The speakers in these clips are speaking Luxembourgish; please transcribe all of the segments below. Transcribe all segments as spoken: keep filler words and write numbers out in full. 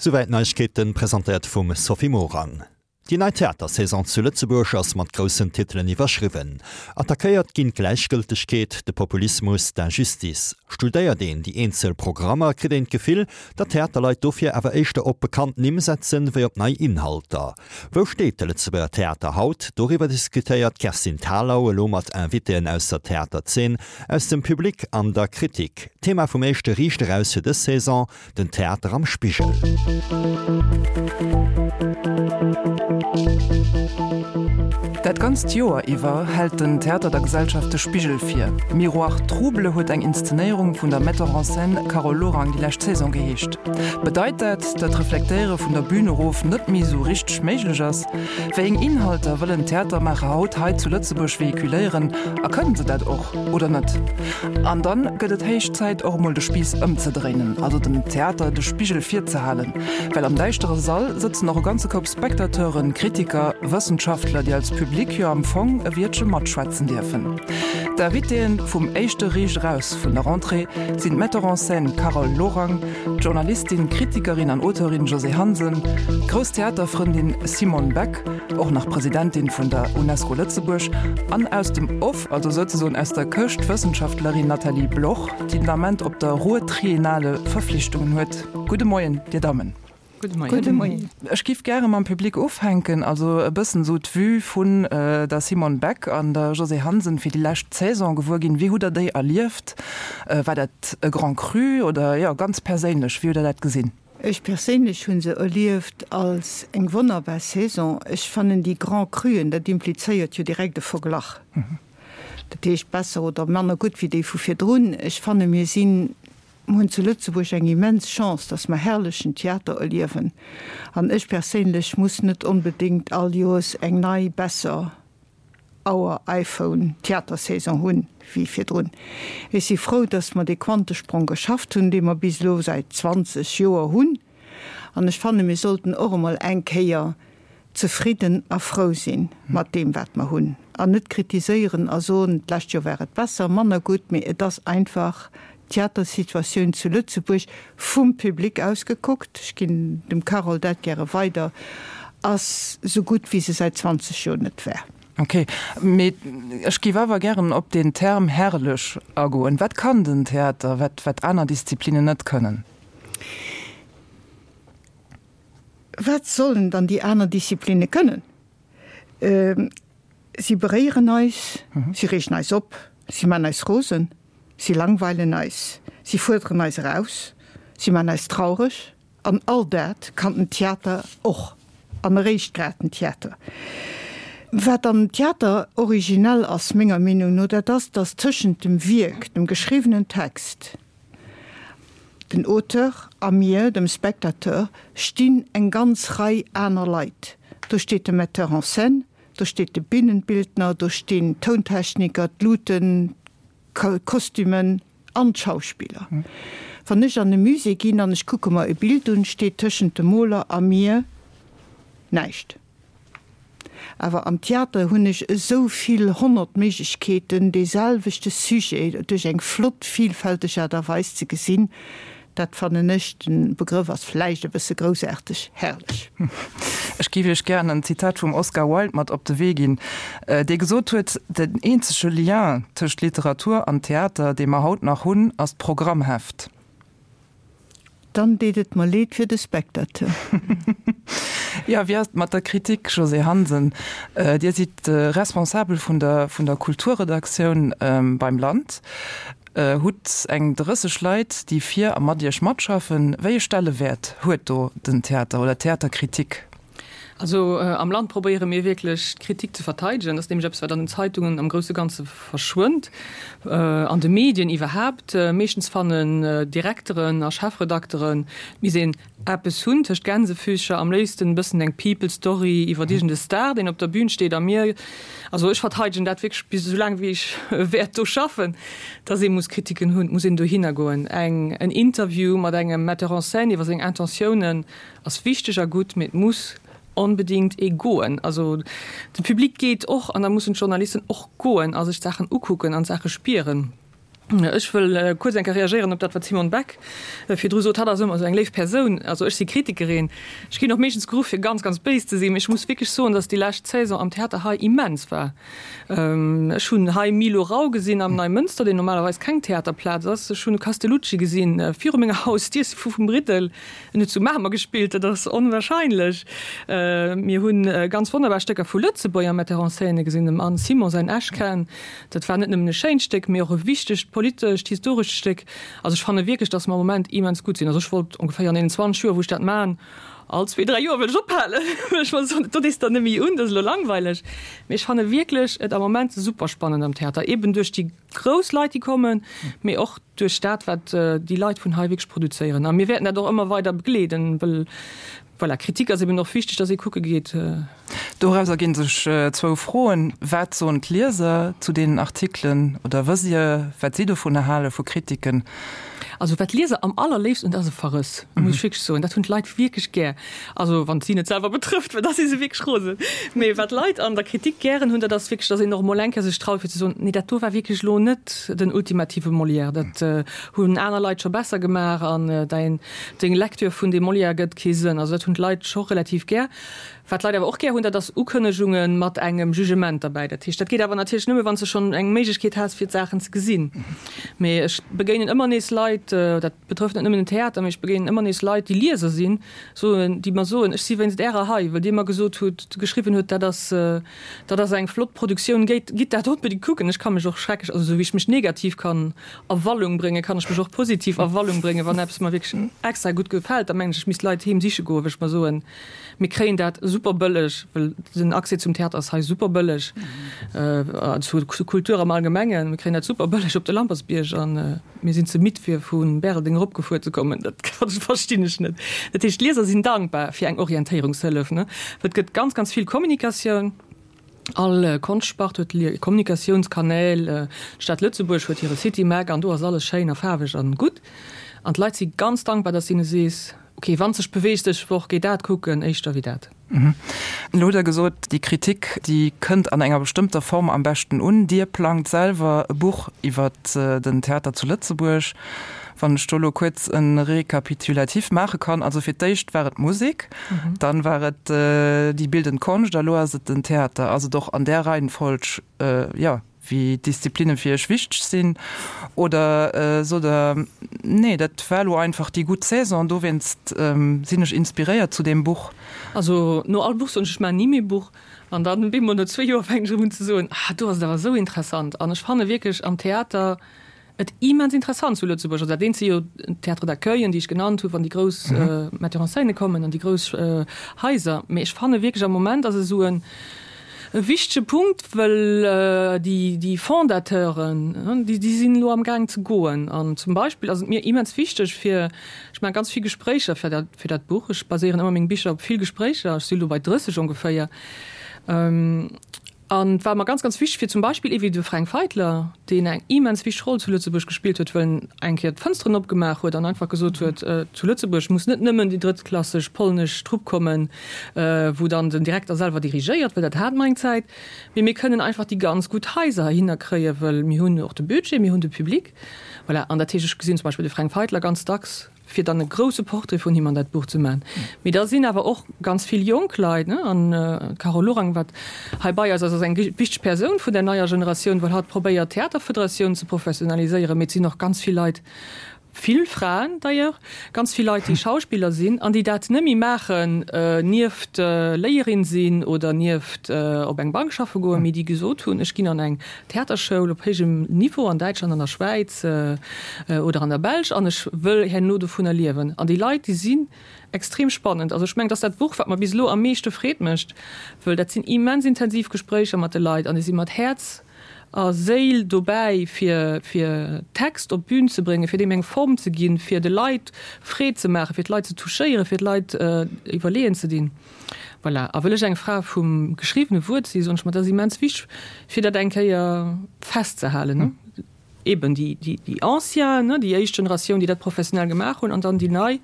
Souwäit d'Neiegkeeten, presentéiert vum Sophie Morang. Déi nei Theatersaison zu Lëtzebuerg ass mat groussen Titelen iwwerschriwwen. Attackéiert ginn d'Gläichgëltegkeet, de Populismus, d'Injustice. Studéiert een déi eenzel Programmer, kritt een d'Gefill, datt d'Theaterleit dofir awer éischter op bekannt Nimm setzen, wéi op nei Inhalter. Wou steet de Lëtzebuerger Theater haut? Doriwwer diskutéiert d'Kerstin Thalau elo mat Invitéen aus der Theaterzeen, aus dem Public an der Kritik. Thema vum éischte Riicht Eraus fir dës Saison, Den Theater am Spigel. Dat ganzt Joer iwwer hält den Theater der Gesellschaft de Spigel vir. Miroir trouble huet eng Inszenéierung vun der Metteur en scène Carole Lorang déi lescht Saison geheescht. Bedeit dat, datt d'Reflektéiere vun der Bün erof net méi esou richteg méiglech ass? Wéi eng Inhalter wëllen d'Theatermaacher haut hei zu Lëtzebuerg vehiculéieren a kënnen se dat och oder net? An dann gëtt et héich Zäit och emol de Spiiss ëmzedréinen, also dem Theater de Spigel virzehalen, well am däischtere Sall sëtzen och e ganze Koup Spectateuren, Kritiker, Wëssenschaftler, déi als Public jo am Fong e Wiertche matschwätzen dierfen. D'Invitéen vum éischte Riicht Eraus vun der Rentrée sinn d'Metteur en scène Carole Lorang, d'Journalistin, Kritikerin an Auteurin Josée Hansen, d'grouss Theaterfrëndin Simone Beck, och nach Presidentin vun der Unesco Lëtzebuerg, an aus dem Off, also souzesoen aus der Këscht, d'Wëssenschaftlerin Nathalie Bloch, déi den Ament op der Ruhrtriennale Verflichtungen huet. Gudde Moien, Dir Dammen. Gudde Moien. Ech giff gäre mam Public ufänken, also e bëssen esou d'Vue vun der Simone Beck an der Josée Hansen fir déi lescht Saison gewuer ginn. Wéi hutt Der déi erlieft? War dat e Grand Cru oder, jo, ganz perséinlech, wéi hutt Der dat gesinn? Ech perséinlech hu se erlieft als eng wonnerbar Saison. Ech fannen déi Grand Cruen, dat implizéiert jo direkt e Verglach, dat heescht besser oder manner gutt wéi déi vu virdrun. Ech fanne mir sinn, mir hunn zu Lëtzebuerg eng immens Chance, datt mer herrlechen Theater erliewen. An ech perséinlech muss net onbedéngt all Joers eng nei, besser Auer, iPhone, Theatersaison hunn wéi virdrun. Ech si frou, datt mer dee Quantesprong geschafft hunn, dee mer bis elo säit zwanzeg Joer hunn. An ech fanne mir sollten och emol eng Kéier zefridden a frou si mat deem wat mer hunn an net kritiséieren a soen, d'lescht Joer war et besser, manner gutt, mee et ass einfach d'Theatersituatioun zu Lëtzebuerg, vum Public aus gekuckt, ech ginn dem Carole dat gäre weider, ass esou gutt wéi se säit zwanzeg Joer net war. Ok, mee ech géif awer gären op deen Term herrlech agoen. Wat kann den Theater, wat wat aner Disziplinen net kënnen? Wat sollen dann déi aner Disziplinne kënnen? Si beréieren eis, si reegen eis op, si man eis rosen, si langweilen eis, si fuerderen eis eraus, si man eis traureg. An all dat kann den Theater och, an eréischt grad den Theater. Wat am Theater originell ass, menger Meenung no, dat ass, datt tëschent dem Wierk, dem geschriwwenen Text, den Auteur, a mir, dem Spectateur, stinn eng ganz Rei aner Leit. Do steet de Metteur en scène, do steet de Bühnenbildner, do stinn d'Tountechniker, d'Luten, d'Kostümen an d'Schauspiller. Wann ech an e Musée ginn an ech kucke mer e Bild un, steet tëschent dem Moler a mir näischt. Awer am Theater hunn ech esou vill honnert Méiglechkeeten, dee selwechte Sujet duerch eng flott, vielfälteg Aart a Weis ze gesinn. Dat fannen ech, de Begrëff ass vläicht e bësse groussaarteg, herrlech. Ech géif Iech gären en Zitat vum Oscar Wilde mat op de Wee ginn, dee gesot huet, Den eenzege Lien tëscht Literatur an Theater, dee mer haut nach hunn, ass d'Programmheft. Dann deet et mer leed fir de Spectateur. Jo, wéi ass et mat der Kritik, Josée Hansen? Dir sidd Responsabel vun der vun der Kulturredaktioun beim Land, hutt eng drësseg Leit, déi fir a mat Iech matschaffen. Wéi e Stellewäert huet do den Theater oder d'Theaterkritik? Also am Land probéiere mir wierklech d'Kritik ze verteidegen. Dat ass nämlech eppes, wat an den Zeitungen am grousse Ganze verschwënnt, an de Medien iwwerhaapt. Meeschtens fannen Direkteren a Chefredakteren, et misst een eppes hunn tëscht Gänsefüßcher, am léifsten e bëssen eng People Story iwwer iergend e Star, deen op der Bühn steet. A mir, also ech verteidegen dat wierklech bis esou laang wéi ech wäert do schaffen, dass ee muss Kritiken hunn, et muss een dohinner goen. Eng, en Interview mat engem Metteur en scène iwwer seng Intentiounen ass wichteg a gutt, mee et muss onbedingt ee goen. Also de Public geet och an da mussen d'Journalisten och goen a sech d'Saachen ukucken an d'Saache spieren. Ech wëll kuerz eng Kéier reagéieren op dat, wat d'Simone Beck virdru sot. Hatt ass ëmmer esou eng léif Persoun. Also ech si Kritikerin. Ech ginn och meeschtens geruff, fir ganz, ganz béis ze sinn. Mee ech muss wierklech soen, datt déi lescht Saison am Theater hei immens war. Ech hunn hei Milo Rau gesinn am Neimënster, deen normalerweis keng Theaterplaz ass. Ech hunn Castellucci gesinn viru menger Hausdier vu vum Briddel. En huet zu Mamer gespillt, dat ass onwahrscheinlech. Mir hu ganz wonnerbar Stécker vu Lëtzebuerger Metteur en scène gesinn, dem Anne Simon säin Eschcan. Dat war net nëmmen e schéint Stéck, mee och e wichtegt politescht, historescht Stéck. Also ech fanne wierklech, datt mer am Moment immens gutt sinn. Also ech wollt ongeféier an deenen zwanzeg Joer, wou ech dat maachen, all zwee, dräi Joer wëll ech ophalen, well ech mer soen, do dees der net méi un, dat ass elo langweileg. Mee ech fanne wierklech et am Moment super spannend am Theater, eben duerch déi grouss Leit, déi kommen, mee och duerch dat, wat déi Leit vun hei wierklech produzéieren. A mir wäerten dat och ëmmer weider begleeden, well voilà, Kritik ass eben och wichteg, dass ee kucke geet. Doraus erginn sech zwou Froen, Wat soen d'Lieser zu deenen Artikelen oder wësst Dir, wat si dovunner hale vu Kritiken? Also wat d'Lieser am allerléifsten hunn, dat ass e Verrëss, muss ech wierklech soen. Dat hunn d'Leit wierklech gär. Also wann et si net selwer betrëfft, well da si se wierklech rosen. Mee wat d'Leit an der Kritik gären hunn, dat ass wierklech, dass een och emol eng Kéier sech traut fir ze soen, nee dat do war wierklech elo net den ultimative Molière, dat hunn aner Leit scho besser gemaach an däin, deng Lecture vun deem Molière gëtt kee Sënn. Also dat hunn d'Leit scho relativ gär. Wat d'Leit awer och gär hunn, dat ass Ukënnegunge mat engem Jugement derbäi. Dat heescht, dat geet awer natierlech nëmme, wann s de schonn eng Méiglechkeet has, fir d'Saachen ze gesinn. Mee ech begéinen ëmmer nees Leit, dat betrëfft net nëmmen den Theater, mee ech begéinen ëmmer nees Leit, déi Lieser sinn, soen, déi mer soen, ech si wéinst Ärer hei, well Dir mer gesot hutt, geschriwwen hutt, dat ass, dat ass eng flott Produktioun, géit, gitt dat onbedéngt kucken. Ech ka mech och schrecklech, also esou wéi ech mech negativ kann a Wallung bréngen, kann ech mech och positiv a Wallung bréngen, wann eppes mer wierklech extra gutt gefält, da mengen ech, ech misst Leit heem siche goen, well ech mer soen, Mir kréien dat super bëlleg, well den Accès zum Theater ass hei super bëlleg, zur Kultur am Allgemengen. Mir kréien dat super bëlleg op de Lampertsbierg a mir sinn ze midd fir vu Bäreldeng eropgefuer ze kommen. Dat verstinn ech net. Dat heescht, d'Lieser sinn dankbar fir eng Orientéierungshëllef, ne? Well et gëtt ganz, ganz vill Kommunikatioun. All Konschtspart huet hir Kommunikatiounskanäl. D'Stad Lëtzebuerg huet hire City Mag an do ass alles schéin a faarweg an gutt. An d'Leit si ganz dankbar, dass s hinne sees, Ok, wann sech beweegt dech Woch, géi dat kucken éischter wéi dat. Elo hutt Der gesot, déi Kritik, déi kënnt an enger bestëmmter Form am beschten un. Dir plangt selwer e Buch iwwer den Theater zu Lëtzebuerg. Wann ech do elo kuerz e Récapitulatif maache kann, also fir d'éischt war et d'Musek, dann war et déi bildend Konscht a elo ass et den Theater. Ass et och an där Reihenfolg, jo, wéi d'Disziplinne fir Iech wichteg sinn? Oder sot Der, nee, dat war elo einfach déi gutt Saison, dowéinst sinn ech inspiréiert zu deem Buch? Also no all Buch soen ech, ech maachen ni méi e Buch. An dann bemol no zwee Joer fänken ech erëm un ze soen, ah do ass et awer esou interessant. An ech fanne wierklech am Theater et immens interessant zu Lëtzebuerg. Also dat eent si jo d'Théâtres d'accueillen, déi ech genannt hunn, wann déi grouss Metteurs en scène kommen an déi grouss Haiser. Mee ech fanne wierklech am Moment ass esou en E wichtege Punkt, wëll déi Fondateuren, déi sinn elo amgaang ze goen. An zum Beispill ass et mir immens wichteg fir, ech maache ganz vill Gespréicher fir dat, fir dat Buch, ech baséieren ëmmer meng Bicher op vill Gespréicher, ech si elo bei drësseg ongeféier. An et war mer ganz, ganz wichteg fir zum Beispill ee wéi de Fränk Feitler, deen eng immens wichteg Roll zu Lëtzebuerg gespillt huet, wëll en eng Kéier d'Fënsteren opgemaach huet an einfach gesot huet, zu Lëtzebuerg muss net nëmmen déi drëttklasseg polnesch Trupp kommen, wou dann den Direkter selwer dirigéiert, well dat hate mer eng Zäit, mee mir kënnen einfach déi ganz gutt Haiser heihinner kréien, wëll mir hunn och de Budget, mir hunn de Public. Voilà. An dat heescht, ech gesinn zum Beispill de Fränk Feitler ganz dacks, fir dann e grouse Portrait vun him an dat Buch ze maachen. Mee da sinn awer och ganz vill jonk Leit, ne, an d'Carole Lorang, wat hei bei eis ass, ass eng wichteg Persoun vun der neier Generatioun, well hatt probéiert, d'Theaterfederatioun ze professionaliséieren. Mee et sinn och ganz vill Leit, vill Fraen d'ailleurs, ganz vill Leit, déi Schauspiller sinn an déi dat net méi maachen nieft Léierin sinn oder nieft op eng Bank schaffe goen, mee déi gesot hunn, ech ginn an eng Theaterschoul op héijem Niveau an Däitschland, an der Schwäiz oder an der Belsch an ech wëll herno dovunner liewen. An déi Leit, déi sinn extrem spannend. Also ech mengen, dat ass dat Buch, wat mer bis elo am meeschte Freed mécht, wëll dat sinn immens intensiv Gespréicher mat de Leit an déi si mat Häerz a Séil dobäi, fir fir Text op d'Bün ze bréngen, fir deem eng Form ze ginn, fir de Leit Freed ze maachen, fir d'Leit ze touchéieren, fir d'Leit iwwerleeën ze dinn. Voilà. A wëll ech eng Fra vum geschriwwene Wuert si, soen ech mer, dat ass immens wichteg, fir dat eng Kéier festzehalen. Eben déi, déi, déi Anciens, ne, déi éischt Generatioun, déi dat professionell gemaach hunn, an dann déi nei,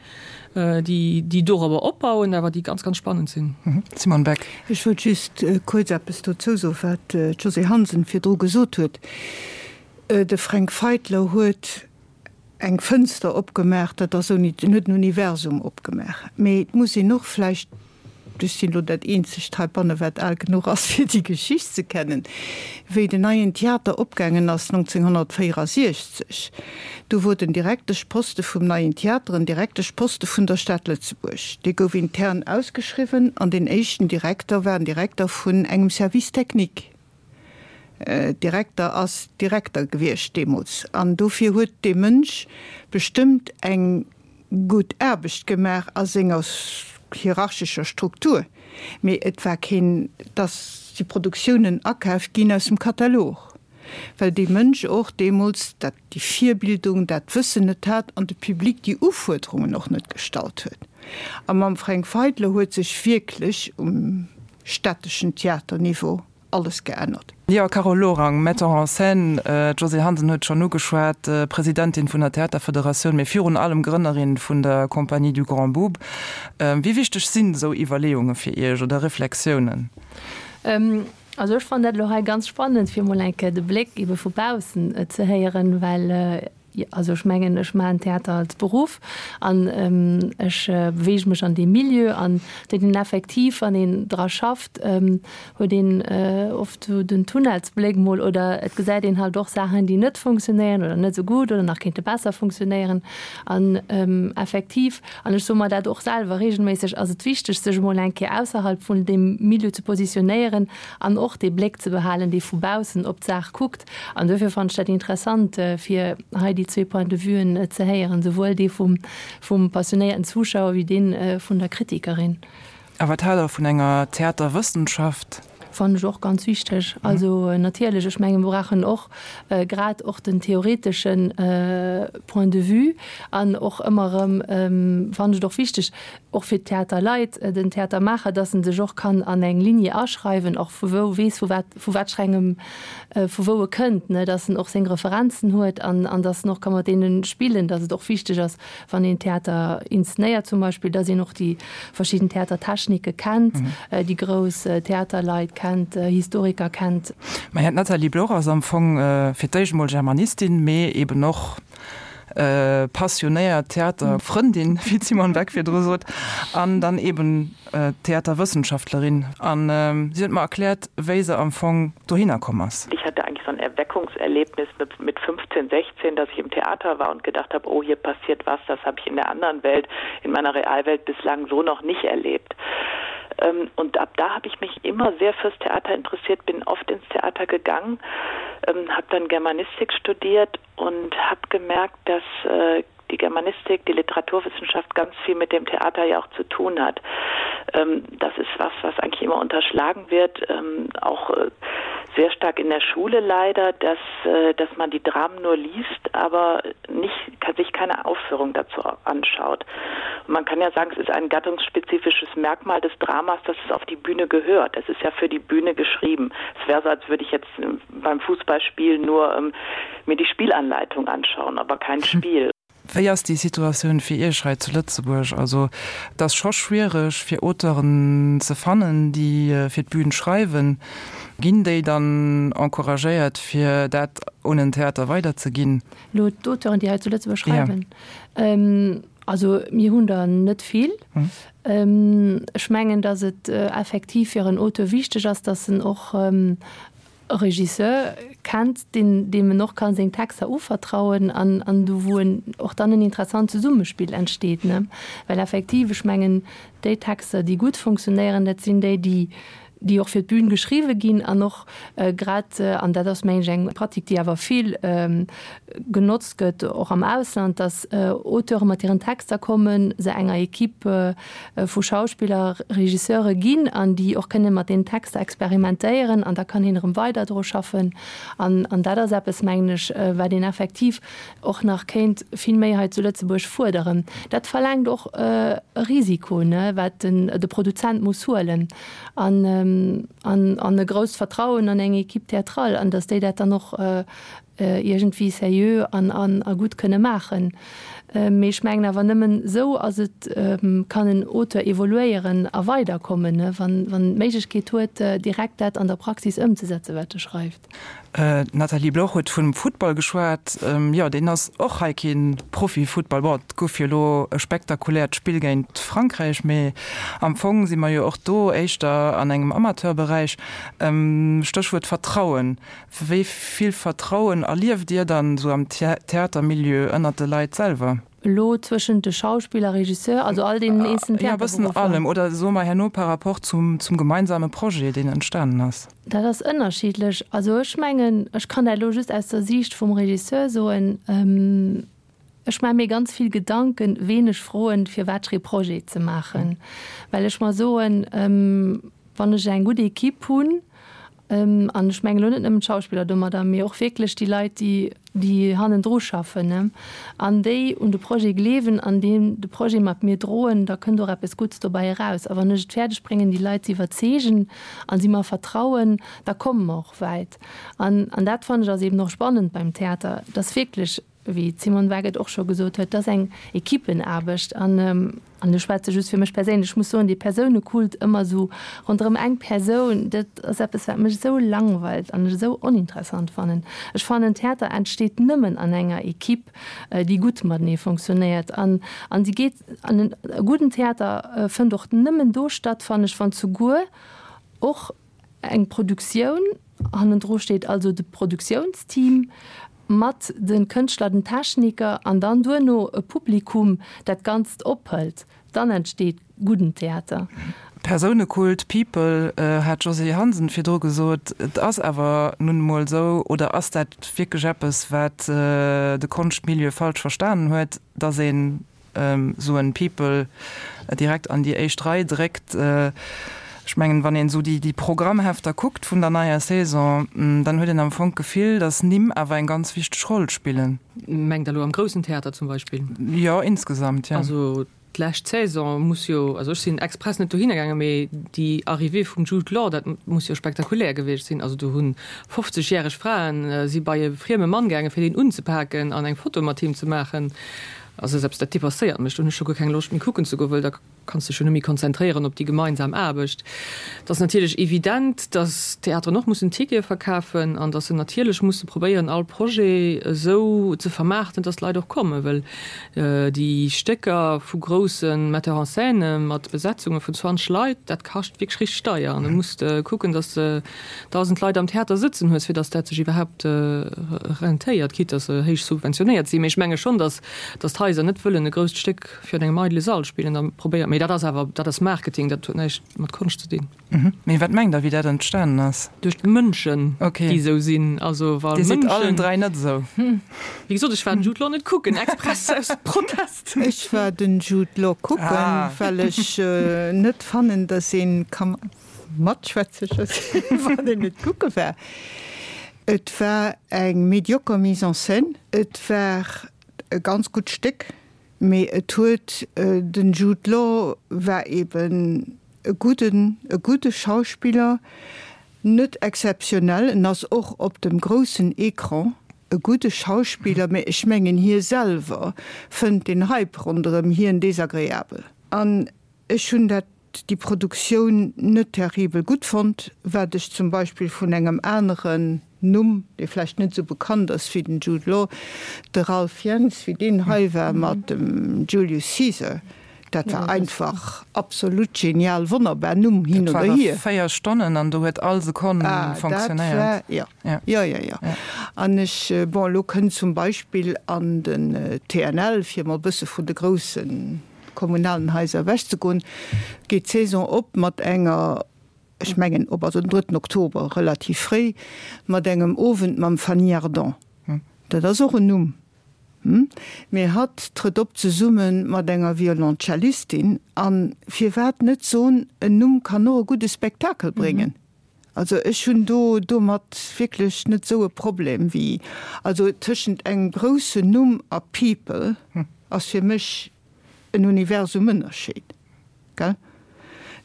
déi, déi dorobber opbauen, awer déi ganz, ganz spannend sinn. Simone Beck. Ech wollt just kuerz eppes dozou soen, wat d'Josée Hansen virdru gesot huet. De Fränk Feitler huet eng Fënster opgemaach, dat ass ouni, en huet en Universum opgemaach. Mee et muss een och vläicht, ech sinn elo dat eenzegt heibanne wat al genuch ass fir déi Geschicht ze kennen, wéi den Neien Theater opgaangen ass nonzénghonnertvéierasiechzeg, do wor den Direkteschposte vum Neien Theater en Direkteschposte vun der Stad Lëtzebuerg. Dee gouf intern ausgeschriwwen an deen éischten Direkter war en Direkter vun engem Service technique. Direkter ass Direkter gewiescht deemools an dofir huet dee Mënsch bestëmmt eng gutt Aarbecht gemaach a senger hierarchescher Struktur, mee et war keen, et si Produktiounen akaaft ginn aus dem Katalog, well dee Mënsch och deemools dat, déi Virbildung, dat Wëssen net hat an de Public déi Ufuerderungen och net gestallt huet. A mam Fränk Feitler huet sech wierklech um städteschen Theaterniveau alles geännert. Jo, Carole Lorang, Metteur en scène, d'Josée Hansen huet schonn ugeschwat, Presidentin vun der Theaterfederatioun, mee virun allem Grënnerin vun der Compagnie du Grand Boub. Wéi wichteg sinn esou Iwwerleeunge fir Iech oder Reflexiounen? Also ech fannen dat elo hei ganz spannend, fir emol eng Kéier de Bléck ebe vu baussen ze héieren, well Also ech mengen, ech maachen Theater als Beruff an ech beweege mech an deem Milieu an huet een effektiv, wann een dra schafft, huet een oft esou den Tunnelsbléck mol oder et gesäit een halt och Saachen, déi net funktionéieren oder net esou gutt oder nach kéinte besser funktionéieren. An effektiv, an ech soe mer dat och selwer reegelméisseg, ass et wichteg, sech emol eng Kéier ausserhalb vun deem Milieu ze positionéieren an och dee Bléck ze behalen, dee vu baussen op d'Saach kuckt. An duerfir fannen ech dat interessant, fir hei déi zwee Point de vuen ze héieren, souwuel dee vum, vum passionéierten Zuschauer wéi dee vun der Kritikerin. A wat haalt Der vun enger Theaterwëssenschaft? Fannen ech och ganz wichteg. Also natierlech, ech mengen, mir brauchen och grad och den theoretesche Point de vue an och ëmmer erëm fannen ech et och wichteg, och fir d'Theaterleit, den Theatermaacher, dass en sech och kann an eng Ligne aschreiwen, och vu wou weess, vu wat, vu wat fir engem, vu wou e kënnt, ne, dass en och seng Referenzen huet an, an dass en och ka mat deene spillen, dass et och wichteg ass, wann een Theater inszenéiert zum Beispill, dass een och déi verschidden Theatertechnike kennt, déi grouss Theaterleit kennt, Historiker kennt. Maja, d'Nathalie Bloch ass am Fong fir d'éischt emol Germanistin, mee eben och passionéiert Theaterfrëndin, wéi d'Simone Beck virdru sot, an dann eben Theaterwëssenschaftlerin. An si huet mer erkläert, wéi se am Fong dohinner komm ass. Ich hatte eigentlich so ein Erweckungserlebnis mit, mit fünfzehn, sechzehn, dass ich im Theater war und gedacht habe, oh, hier passiert was, das habe ich in der anderen Welt, in meiner Realwelt bislang so noch nicht erlebt. Und ab da habe ich mich immer sehr fürs Theater interessiert, bin oft ins Theater gegangen, habe dann Germanistik studiert und habe gemerkt, dass die Germanistik, die Literaturwissenschaft ganz viel mit dem Theater ja auch zu tun hat. Das ist was, was eigentlich immer unterschlagen wird, auch sehr stark in der Schule leider, dass, dass man die Dramen nur liest, aber nicht, sich keine Aufführung dazu anschaut. Und man kann ja sagen, es ist ein gattungsspezifisches Merkmal des Dramas, dass es auf die Bühne gehört. Es ist ja für die Bühne geschrieben. Es wäre so, als würde ich jetzt beim Fußballspiel nur ähm, mir die Spielanleitung anschauen, aber kein Spiel. Wéi ass déi Situatioun fir Iech hei zu Lëtzebuerg? Also et ass scho schwiereg fir Auteuren ze fannen, déi fir d'Bün schreiwen. Ginn déi dann encouragéiert fir dat un en Theater weiderzeginn? Elo d'Auteuren, déi hei zu Lëtzebuerg schreiwen? Also mir hunn der net vill. Ech mengen, datt et effektiv fir en Auteur wichteg ass, datt en och e Regisseur kennt, deen, deem en och ka seng Texter uvertrauen an, an do wou en och dann en interessant Zesummespill entsteet, ne? Well effektiv, ech mengen, déi Texter, déi gutt funktionéieren, dat sinn déi, déi, déi och fir d'Bün geschriwwe ginn an och grad, an dat ass, mengen ech, eng Pratik, déi awer vill genotzt gëtt, och am Ausland, dass Auteure mat hiren Texter kommen, se enger Equipe vu Schauspiller, Regisseure ginn an déi och kënne mat deenen Texter experimentéieren an da kann een erëm weider dru schaffen. An, an dat ass eppes, mengen ech, wat een effektiv och nach kéint vill méi hei zu Lëtzebuerg fuerderen. Dat verlaangt och e Risiko, ne, wat den, de Produzent muss huelen an, an, an e grousst Vertrauen an eng Équipe théâtrale an dass déi dat dann och iergendwéi seriö an, an, a gutt kënne maachen. Mee ech mengen awer nëmmen esou ass et, kann en Auteur evoluéieren a weiderkommen, wann en d'Méiglechkeet huet, direkt dat an der Praxis ëmzesetzen, wat e schreift. D'Nathalie Bloch huet vum Futtball geschwat. Jo, deen ass och hei kee Profifuttball. Bon, et gouf jo elo e spektakuläert Spill géint Frankräich, mee am Fong si mer jo och do éischter an engem Amateurberäich. Stéchwuert Vertrauen. Wéi vill Vertrauen erlieft Dir dann esou am Theatermilieu ënnert de Leit selwer? Elo zwëschent de Schauspiller, Regisseur, also all deenen eenzelnen Theaterberuffer? Jo, e bëssen allem. Oder soe mer herno par rapport zum zum gemeinsame Projet, deen entstanen ass. Dat ass ënnerschiddlech. Also ech mengen, ech kann dat elo just aus der Siicht vum Regisseur soen, Ech maache mir ganz vill Gedanken, ween ech froen, fir wat fir ee Projet ze maachen, well ech mer soen, wann ech eng gutt Equipe hunn, An ech mengen elo net nëmmen d'Schauspiller domadder, mee och wierklech déi Leit, déi, déi hannendru schaffen, ne, an déi un de Projet gleewen an déi de Projet mat mir droen, da kënnt och eppes Gutts dobäi eraus. A wann ech et fäerdeg bréngen, déi Leit ze iwwerzeegen a si mer vertrauen, da komme mer och wäit. An, an dat fannen ech ass eben och spannend beim Theater, dass wierklech, wéi d'Simone Wagedt och scho gesot huet, dat ass eng Equipenaarbecht. An, an ech schwätze just fir mech perséinlech, ech muss soen, dee Persounekult ëmmer esou ronderëm eng Persoun, dat ass eppes, wat mech esou langweilt an ech esou oninteressant fannen. Ech fannen, Theater entsteet nëmmen an enger Equipe, déi gutt matenee fonctionnéiert. An, an si geet, an e gudden Theater fënnt och nëmmen do statt, fannen ech, wann souguer och eng Produktioun hannendru steet, also de Produktiounsteam mat de Kënschtler, den Techniker an dann duerno e Publikum dat Ganzt ophëlt, dann entsteet gudden Theater. Persounekult, People, hat d'Josée Hansen virdru gesot. Et ass awer nun emol esou, oder ass dat wierklech eppes, wat de Konschtmilieu falsch verstanen huet, datt een esou en People direkt an déi éischt Rei dréckt. Ech mengen, wann een esou déi Programmhefter kuckt vun der neier Saison, dann huet een am Fong d'Gefill, datt Nimm awer eng ganz wichteg Roll spillen. Mengt Der elo am groussen Theater zum Beispill? Jo, insgesamt, jo. Also d'lescht Saison muss jo, also ech sinn express net dohinner gaangen, mee déi Arrivée vum Jude Law, dat muss jo spektakulär gewiescht sinn. Also do hu fofzeg-järeg Fraen si bei e frieme Mann gaangen, fir deen unzepaken an eng Foto mat him ze maachen. Also selbst dat depasséiert mech, do hunn ech scho guer keng Loscht méi kucken ze goen, wëll da kanns dech jo net méi konzentréieren op déi gemeinsam Aarbecht. Et ass natierlech evident, datt d'Theateren och mussen Tickete verkafen an datt se natierlech musse probéieren, all Projet esou ze vermaarten, datt d'Leit och kommen, wëll déi Stécker vu grousse Metteurs en scène mat Besetzunge vun zwanzeg Leit, dat kascht wierklech richteg deier an da muss de kucken, datt s de dausend Leit am Theater sëtzen hues, fir datt dat sech iwwerhaapt rentéiert, quitte datt se héich subventionéiert sinn. Mee ech menge schonn, datt d'Haiser net wëllen e grousst Stéck virun engem eidele Sall spillen, da probéiert, mee dat ass awer, dat ass Marketing, dat huet näischt mat Konscht ze dinn. Mee wat mengt Der, wéi dat entstanen ass? Duerch d'Mënschen, déi esou sinn. Also wa Dir sidd Mënschen. Allen dräi net esou. Wéi gesot, ech war den Jude Law net kucken, express aus Protest. Ech war den Jude Law kucken, well ech net fannen, datt ee ka matschwätze wann een net kucke war. Et war eng medioker Mise en scène. Et war e ganz gutt Stéck, mee et huet, den Jude Law war eben e gudden, e gudde Schauspiller, net exzeptionell, en ass och op dem groussen Ecran e gudde Schauspiller, mee ech mengen hie selwer fënnt den Hype ronderëm hien desagreabel. An ech hunn dat, déi Produktioun net terribel gutt fonnt, wat ech zum Beispill vun engem aneren Numm, dee vläicht net esou bekannt ass wéi den Jude Law, de Ralph Fiennes, wéi deen hei war mat dem Julius Caesar, dat war einfach absolut genial, wonnerbar, Numm hin oder hier. Dat war véier Stonnen an do huet all Sekonn fonctionnéiert. Ah, dat war, jo, jo, jo, jo. An ech, bon, elo kënnt zum Beispill an den T N L, fir emol e bësse vun de groussen kommunalen Haiser ewechzegoen, geet d'Saison op mat enger, ech mengen op, also den drëtten Oktober, relativ fréi, mat engem Owend mam Fanny Ardant. Dat ass och en Numm, hm? Mee hatt trëtt op zesumme mat enger Violoncellistin. A firwat net soen, en Numm kann och e gudde Spektakel bréngen? Also ech hunn do domat wierklech net esou e Problem wéi, also tëschent engem groussen Numm a People ass fir mech en Universum Ënnerscheed, gell?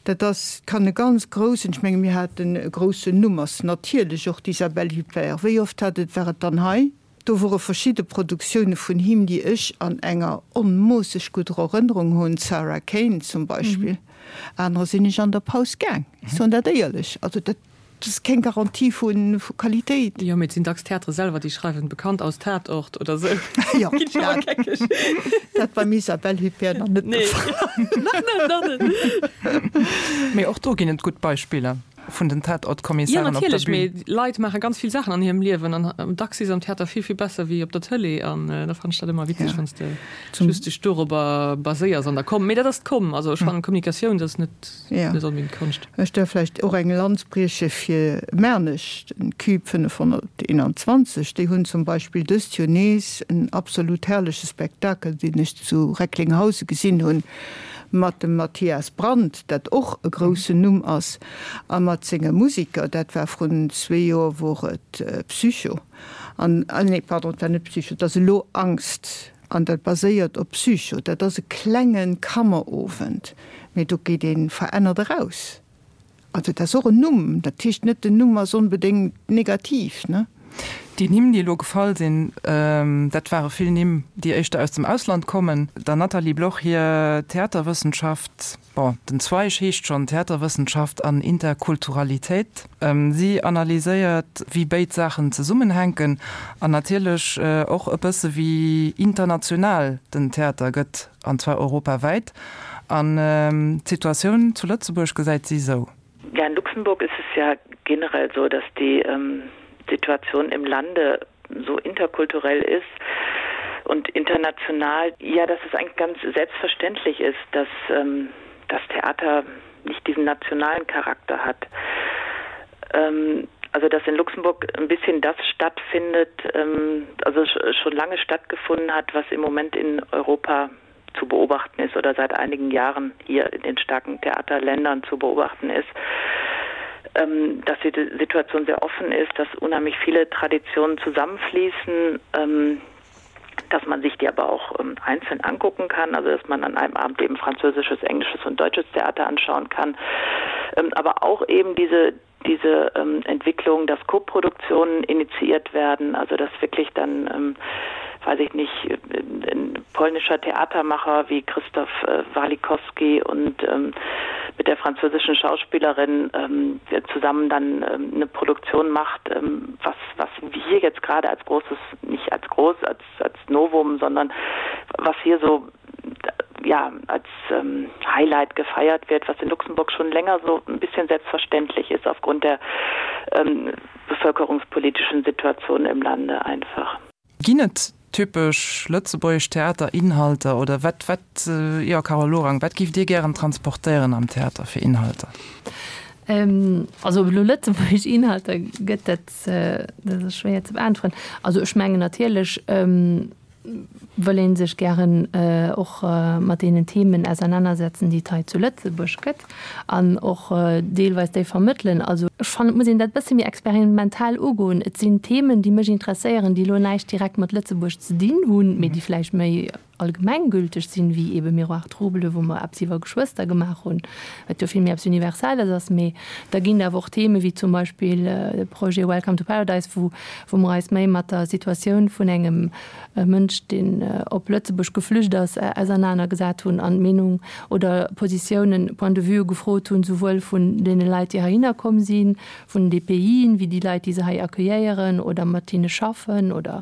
Dat ass, kann e ganz groussen, ech menge mir haten e groussen Numm ass natierlech och d'Isabelle Huppert. Wéi oft hat et, war et dann hei? Do wore verschidde Produktioune vun him, déi ech an enger onmoosseg gudder Erënnerung hunn, Sarah Kane zum Beispill. Anerer sinn ech an der Paus gaang, ech soen dat éierlech. Also dat ass keng Garantie vu Qualitéit. Jo, mee et sinn dacks d'Theatere selwer, déi schreiwen, bekannt aus Tatort oder sou. Jo, dat, dat beim Isabelle Huppert nach net de Fall. Nach net, nach net. Mee och do ginn et gutt Beispiller vun den Jo, Tatortkommissaren op der natierlech, Bühn. mee Leit maache ganz vill Saachen an hirem Liewen an dacks si se am Theater vill, vill besser wéi op der Tëlee an da fannen ech dat ëmmer witzeg, Ja. wann s de Zum. just dech dorobber baséiers an der Com. Mee dat ass d'Com, also ech fannen Kommunikatioun, dat ass net, Ja. net onbedéngt Konscht. Ech däerf vläicht och eng Lanz brieche fir Mernech, den Cube fënnefhonnerteenanzwanzeg. Déi hunn zum Beispill dëst Joer nees en absolut herrleche Spektakel, deen ech zu Recklinghausen gesinn hunn, mat dem Matthias Brandt, dat och e groussen Numm ass, a mat senge Musiker, dat war vrun zwee Joer, wor et Psycho, an, nee, pardon, et war net Psycho, et ass elo Angst, an dat baséiert op Psycho. Dat ass e klenge Kammerowend, mee do geet ee verännert eraus. Also dat ass och en Numm, dat heescht net, den Numm ass onbedéngt negativ, ne? Déi Nimm, déi elo gefall sinn, dat ware vill Nimm, déi éischter aus dem Ausland kommen. Der Nathalie Bloch hir Theaterwëssenschaft, bon, den Zweig heescht schonn Theaterwëssenschaft an Interkulturalitéit. Si analyséiert, wéi béid Saachen zesummenhänken an natierlech och e bësse wéi international den Theater gëtt, an zwar europawäit. An d'Situatioun zu Lëtzebuerg gesäit si esou. Ja, in Luxemburg ist es ja generell so, dass die ähm, Situation im Lande so interkulturell ist und international ja dass es eigentlich ganz selbstverständlich ist, dass ähm, das Theater nicht diesen nationalen Charakter hat. Ähm, also dass in Luxemburg ein bisschen das stattfindet, ähm, also schon lange stattgefunden hat, was im Moment in Europa zu beobachten ist oder seit einigen Jahren hier in den starken Theaterländern zu beobachten ist, ähm, dass die Situation sehr offen ist, dass unheimlich viele Traditionen zusammenfließen, ähm, dass man sich die aber auch ähm, einzeln angucken kann, also dass man an einem Abend eben französisches, englisches und deutsches Theater anschauen kann. Ähm, aber auch eben diese, diese ähm, Entwicklung, dass Koproduktionen initiiert werden, also dass wirklich dann ähm, weiß ich nicht, ein polnischer Theatermacher wie Christoph äh, Walikowski und ähm, mit der französischen Schauspielerin ähm, zusammen dann ähm, eine Produktion macht, ähm, was, was wir jetzt gerade als großes, nicht als groß, als, als Novum, sondern was hier so ja, als ähm, Highlight gefeiert wird, was in Luxemburg schon länger so ein bisschen selbstverständlich ist aufgrund der ähm, bevölkerungspolitischen Situation im Lande einfach. Ginn et typesch lëtzebuergesch Theaterinhalter oder wat, wat, jo Carole Lorang, wat giff Dir gären transportéieren am Theater fir Inhalter? Also ob et elo lëtzebuergesch Inhalter gëtt, dat, dat ass schwéier ze beäntweren. Also ech mengen natierlech wëll ee sech gären och mat deenen Themen ausernanersetzen, déi et hei zu Lëtzebuerg gëtt an och deelweis déi vermëttelen. Also ech fannen, et muss een dat e bësse méi experimentell ugoen. Et sinn Themen, déi mech interesséieren, déi elo näischt direkt mat Lëtzebuerg ze dinn hunn, mee déi vläicht méi allgemenggülteg sinn, wéi ebe Miroir trouble, wou mer eppes iwwer Geschwëster gemaach hunn, wat jo vill méi eppes Universelles ass. Mee da ginn et awer och Theme wéi zum Beispill de Projet Welcome to Paradise, wou wou mer eis méi mat der Situatioun vun engem Mënsch, deen op Lëtzebuerg geflücht ass, ausernanergesat hunn an d'Meenung oder Positiounen, Points de vue gefrot hunn, souwuel vun deene Leit, déi heihinner komm sinn, vun de Pays, wéi déi Leit, déi se hei accueilléieren oder mat hinne schaffen oder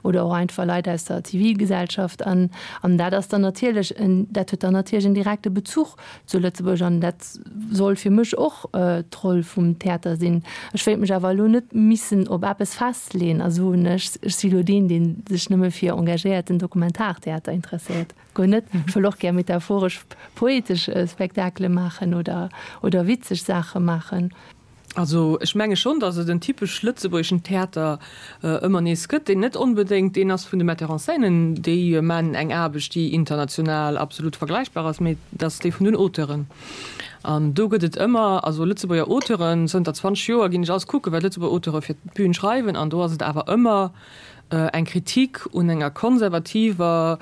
oder och einfach Leit aus der Zivilgesellschaft. An an dat ass dann natierlech en, dat huet dann natierlech en direkte Bezuch zu Lëtzebuerg an dat soll fir mech och d'Roll vum Theater sinn. Ech wéilt mech awer elo net missen op eppes festleeën a soen, ech ech si lo deen, dee sech nëmme fir engagéierten Dokumentartheater interesséiert. Guer net. Ech wëll och gär metaphoresch poetesch Spektakele maachen oder oder witzeg Saache maachen. Also ech menge schonn, datt et en typesch lëtzebuergeschen Theater ëmmer nees gëtt, deen net onbedéngt deen ass vun de Metteurs en scène, déi man eng Aarbecht, déi international absolut vergläichbar ass, mee dat ass dee vun den Auteuren. An do gëtt et ëmmer, also Lëtzebuerger Auteuren, zënter zwanzeg Joer ginn ech alles kucken, wat Lëtzebuerger Auteure fir d'Bün schreiwen, an do ass et awer ëmmer eng Kritik un enger konservativer,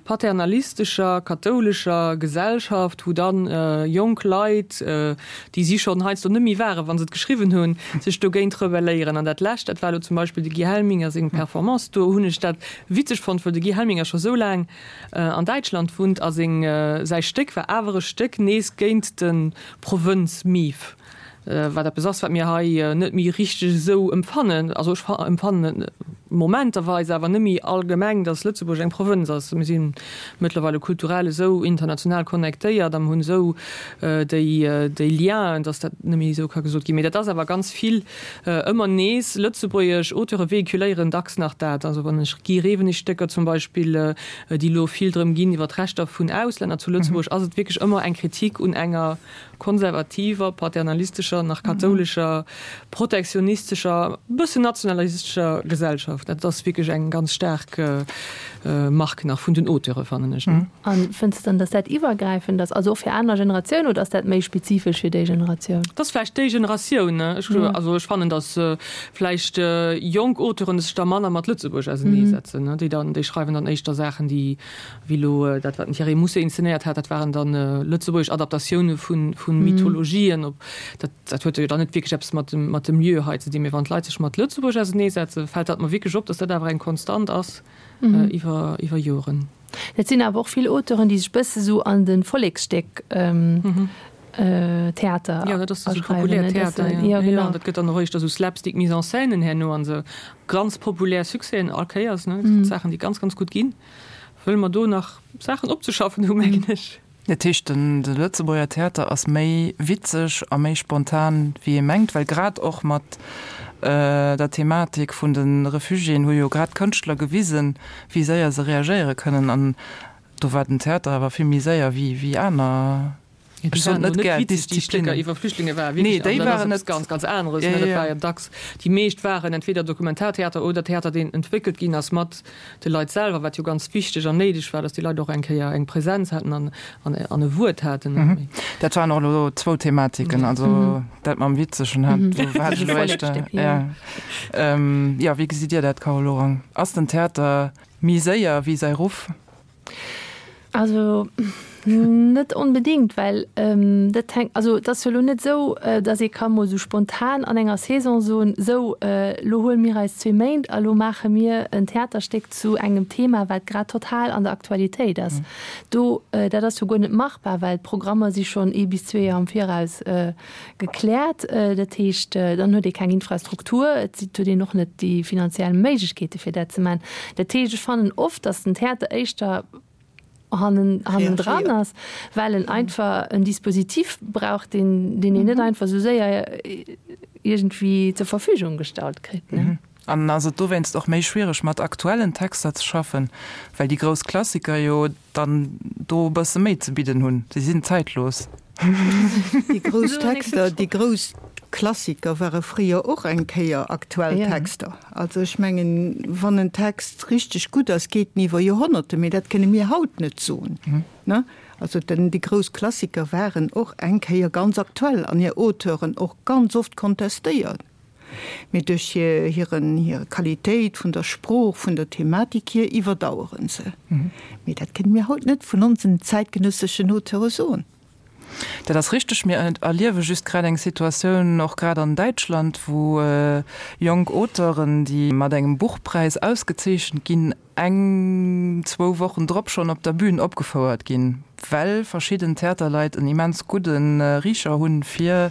paternalistescher, kathoulescher Gesellschaft, wou dann jonk Leit, déi si schonn heiansdo net méi waren, wa se et geschriwwen hunn, sech dogéint rebelléieren. An dat Lescht, dat war elo zum Beispill de Guy Helminger seng Performance, do hunn ech dat witzeg fonnt, well de Guy Helminger scho sou laang an Däitschland wunnt a seng, säi Stéck war awer e Stéck nees géint de Provënz-Mief. Wat eppes ass, wat mir hei net méi richteg esou empfannen. Also ech empfannen et momenterweis, awer net méi allgemeng, datt Lëtzebuerg eng Provënz ass. Mir si mëttlerweile kulturell esou international connectéiert an hunn esou déi déi Lienen, datt dat net méi esou ka gesot ginn. Mee dat ass awer ganz vill ëmmer nees. Lëtzebuergesch Auteure véhiculéieren dacks nach dat. Also wann ech Guy Rewenig-Stécker zum Beispill, déi elo vill drëm ginn iwwer d'Rechter vun Auslänner zu Lëtzebuerg, ass et wierklech ëmmer eng Kritik un enger konservativer, paternalistescher, nach kathoulescher, protektionistescher, e bëssen nationalistescher Gesellschaft. Dat ass wierklech eng ganz staark Mark nach vun den Auteure, fannen ech. A fënns de dann, datt dat iwwergräifend ass, also och fir aner Generatiounen, oder ass dat méi spezifesch fir déi Generatioun? Dat ass vläicht déi Generatioun. Ech, also ech fannen, datt vläicht jonk Auteuren sech da manner mat Lëtzebuerg auserneesetzen. Déi dann, déi schreiwen dann éischter Saachen, déi wéi elo dat, wat den Thierry Mousset inszenéiert hat, dat waren dann lëtzebuergesch Adaptatioune vu Mythologien. Op dat, dat huet jo dann net wierklech eppes mat dem, mat dem Lieu hei ze dinn. Mee wann d'Leit sech mat Lëtzebuerg auserneesetzen, fält dat mer wierklech op, datt dat awer eng Konstant ass iwwer, iwwer Joren. Et sinn awer och vill Auteuren, déi sech bësse sou an de Volleksstéck Theater Ja, dat ass esou populär Theater, ja. Ja, genau. Dat gëtt dann och éischter esou Slapstick Mise en scènen herno an esou ganz populär Succèsen all Kéiers, ne. Mm. Saachen, déi ganz, ganz gutt ginn, wëll mer do nach Saachen opzeschaffen hu, mengen ech. Dat heescht, den, de Lëtzebuerger Theater ass méi witzeg a méi spontan, wéi ee mengt, well grad och mat der Thematik vun de Refugiéen hu jo grad d'Kënschtler gewisen, wéi séier se reagéiere kënnen. An do war den Theater awer vill méi séier wéi, wéi aner. Ech sot net gär Disziplinnen. Iwwer Flüchtlinge war Nee, déi waren net ganz ganz aneres. Ja, ja. War ja dacks déi meescht waren entweder Dokumentartheater oder Theater, deen entwéckelt ginn ass mat de Leit selwer, wat jo ganz wichteg an néideg war, datt déi Leit och eng Kéier eng Präsenz haten an an an e Wuert haten. Mhm. Dat waren och elo zwou Thematiken, also mhm. dat mam Witzegen hat, mhm. do war ech elo éischter. Ja. Ähm, ja, wéi gesitt Dir dat, Carole Lorang? Ass den Theater méi séier wéi säi Ruff? Also net onbedéngt, well dat hänkt, also et ass jo elo net esou, datt ee ka mol esou spontan an enger Saison soen, sou elo huele mir eis zwee Méint a lo maache mir en Theaterstéck zu engem Thema, wat grad total an der Aktualitéit ass. Do, dat ass jo guer net machbar, well d'Programmer si schonn ee bis zwee Joer am Viraus gekläert. Dat heescht, dann huet ee keng Infrastruktur, et huet een och net déi finanziell Méiglechkeete fir dat ze maachen. Dat heescht, ech fannen oft, datt den Theater éischter hannen, hannendran ass, well en einfach en Dispositif brauch, deen, deen een net einfach esou séier iergendwéi zur Verfügung gestallt kritt. Ne? An ass et dowéinst och méi schwiereg, mat aktuellen Texter ze schaffen, well déi grouss Klassiker jo dann do e bësse méi ze bidden hunn? Si sinn zäitlos. Déi grouss Texter, déi grouss Klassiker ware fréier och eng Kéier aktuell Texter. Also ech mengen, wann en Text richteg gutt ass, geet en iwwer Joerhonnerte, mee dat kënne mir haut net soen. Ne? Also den, déi grouss Klassiker waren och eng Kéier ganz aktuell an hir Auteuren och ganz oft kontestéiert. Mee duerch hir, hiren, hir Qualitéit vun der Sprooch, vun der Thematik hier iwwerdauere se. Mee dat kënne mir haut net vun onsen zäitgenësseschen Auteure soen. Dat ass richteg. Mir erliewe just grad eng Situatioun, och grad an Däitschland, wou jonk Auteuren, déi mat engem Buchpräis ausgezeechent ginn, eng, zwou Wochen drop schonn op der Bühn opgefouert ginn, well verschidden Theaterleit en immens gudde Richer hunn fir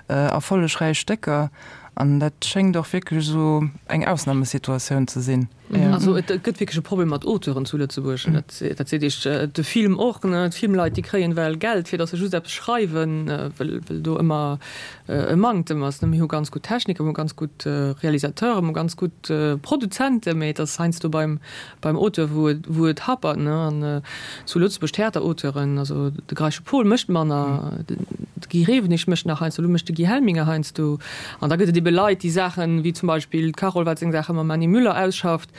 erfollegräich Stécker. An dat schéngt och wierklech esou eng Ausnamesituatioun ze sinn. Also et gëtt wierklech e Problem mat Auteuren zu Lëtzebuerg. Dat seet Iech de Film och, ne? D'Filmleit, déi kréien well Geld, fir datt se just eppes schreiwen, well well do ëmmer e Manktem ass, ne? Mir hu ganz gutt Techniker, mir hu ganz gutt Realisateuren, mir hu ganz gutt Produzenten, mee et ass heiansdo beim beim Auteur, wou et wou et hapert, ne? An zu Lëtzebuerg, Theaterauteuren, Auteuren. Also de Greische Paul mécht manner, de Guy Rewenig mécht nach heiansdo, elo mécht de Guy Helminger heiansdo. An da gëtt et ebe Leit, déi Saachen, wéi zum Beispill d'Carole, wat seng Saache mam Manny Müller ausschafft,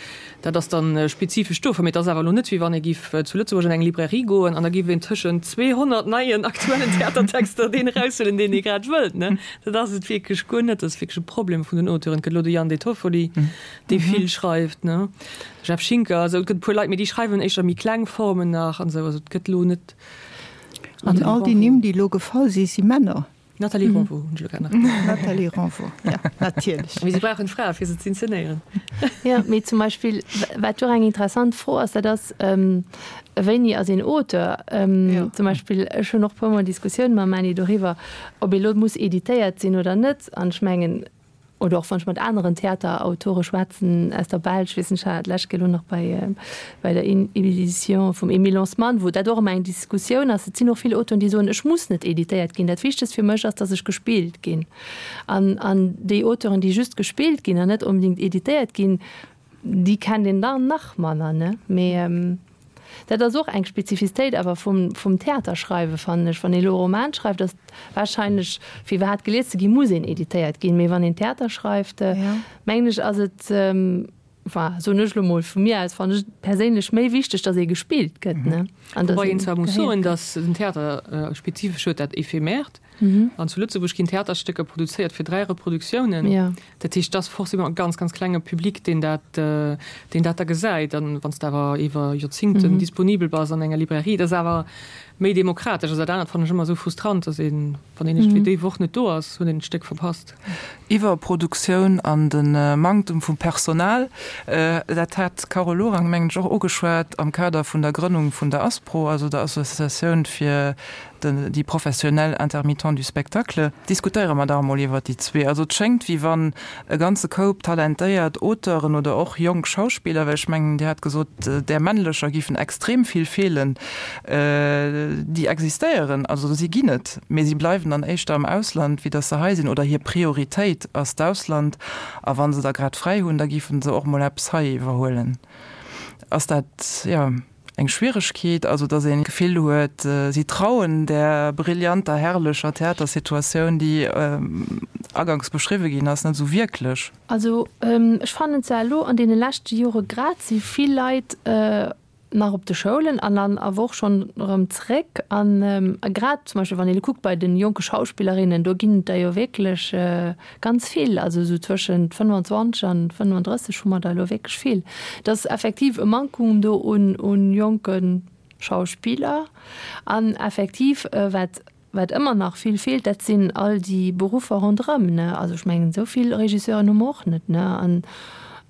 dat ass dann spezifesch dofir. Mee et ass awer elo net, wéi wann ee giff zu Lëtzebuerg an eng Librairie goen an da giff een tëschent zweehonnert neien aktuellen Theatertexter deen eraushuelen, deen ee grad wëllt, ne. Dat ass et wierklech guer net. Dat ass wierklech e Problem vun den Auteuren. Et gëtt elo de Jan De Toffoli, dee vill schreift, ne. Jeff Schinker, also et gëtt e puer Leit, mee déi schreiwen éischter méi kleng Formen nach an esou. Also et gëtt elo net. An all déi Nimm, déi elo gefall si, si Männer. Nathalie Ronvaux hunn ech elo grad nach gesot. Nathalie Ronvaux, ja, natierlech. Mee si brauchen Frae fir se z'inszenéieren. Jo, mee zum Beispill, wat jo och eng interessant Fro ass, dat ass, Wéini ass een Auteur? Zum Beispill, ech hunn och e puermol Diskussioune mam Manny doriwwer, ob ee lo muss editéiert sinn oder net. An ech mengen, oder och wann ech mat aneren Theaterautore schwätzen aus der Belsch, weess ech hat d'lescht Kéier elo nach bei bei der Edition vum Emile Lansman, wou dat och ëmmer eng Diskussioun ass. Et sinn och vill Auteuren, déi soen, ech muss net editéiert ginn, dat Wichtegst fir mech ass, datt ech gespillt ginn. An an déi Auteuren, déi just gespillt ginn an net onbedéngt editéiert ginn, déi kennt een dann nach manner, ne? Mee dat ass och eng Spezifistéit awer vum, vum Theaterschreiwen, fannen ech. Wann ee elo e Roman schreift, ass wahrscheinlech, fir iwwerhaapt gelies ze ginn, muss een editéiert ginn. Mee wann een Theater schreift, mengen ech, ass et, enfin, soen ech elo mol vu mir aus, fannen ech et perséinlech méi wichteg, datt ee gespillt gëtt, ne? An datt Wobei een zwar muss soen, datt den Theater spezifesch huet dat Ephemeert. An zu Lëtzebuerg ginn Theaterstécker produzéiert fir dräi Reproduktiounen. Dat heescht, et ass forcément e ganz, ganz klenge Public, deen dat, deen dat da gesäit. An wann s de awer iwwer Joerzingten disponibel bass an enger Librairie, dat ass awer méi demokratesch. Also dat anert fannen ech ëmmer esou frustrant, dass een, wann een iergendwéi déi Woch net do ass, huet een d'Stéck verpasst. Iwwerproduktioun an de Manktem vum Personal, dat hat d'Carole Lorang, mengen ech, och ugeschwat am Kader vun der Grënnung vun der ASPRO, also der Associatioun fir déi professionell Intermittents du spectacle. Diskutéiere mer dach emol iwwert déi zwee. Also et schéngt, wéi wann e ganze Koup talentéiert Auteuren oder och jonk Schauspiller, well ech mengen, Dir hat gesot, där männlecher giffen extrem vill feelen, déi existéieren, also si ginn et, mee si bleiwen dann éischter am Ausland, wéi datt se hei sinn, oder hir Prioritéit ass d'Ausland, a wa se da grad fräi hunn, da giffen se och mol eppes hei iwwerhuelen. Ass dat, jo, eng Schwieregkeet, also datt een d'Gefill huet, si trauen där brillanter, herrlecher Theatersituatioun, déi aganks beschriwwe ginn ass, net esou wierklech? Also ech fannen zwar elo an deene leschte Jore grad si vill Leit nach op de Schoulen an dann awer och schonn erëm zréck an grad zum Beispill wann een elo kuckt bei de jonke Schauspillerinnen, do ginn et der jo wierklech ganz vill, also esou zwëschent fënnwanzwanzeg an fënnwanddrësseg hu mer der elo wierklech vill. Et ass effektiv e Mankum do un un jonke Schauspiller an effektiv wat wat ëmmer nach vill feelt, dat sinn all déi Beruffer ronderëm, ne. Also ech mengen esou vill Regisseuren hu mer och net, ne, an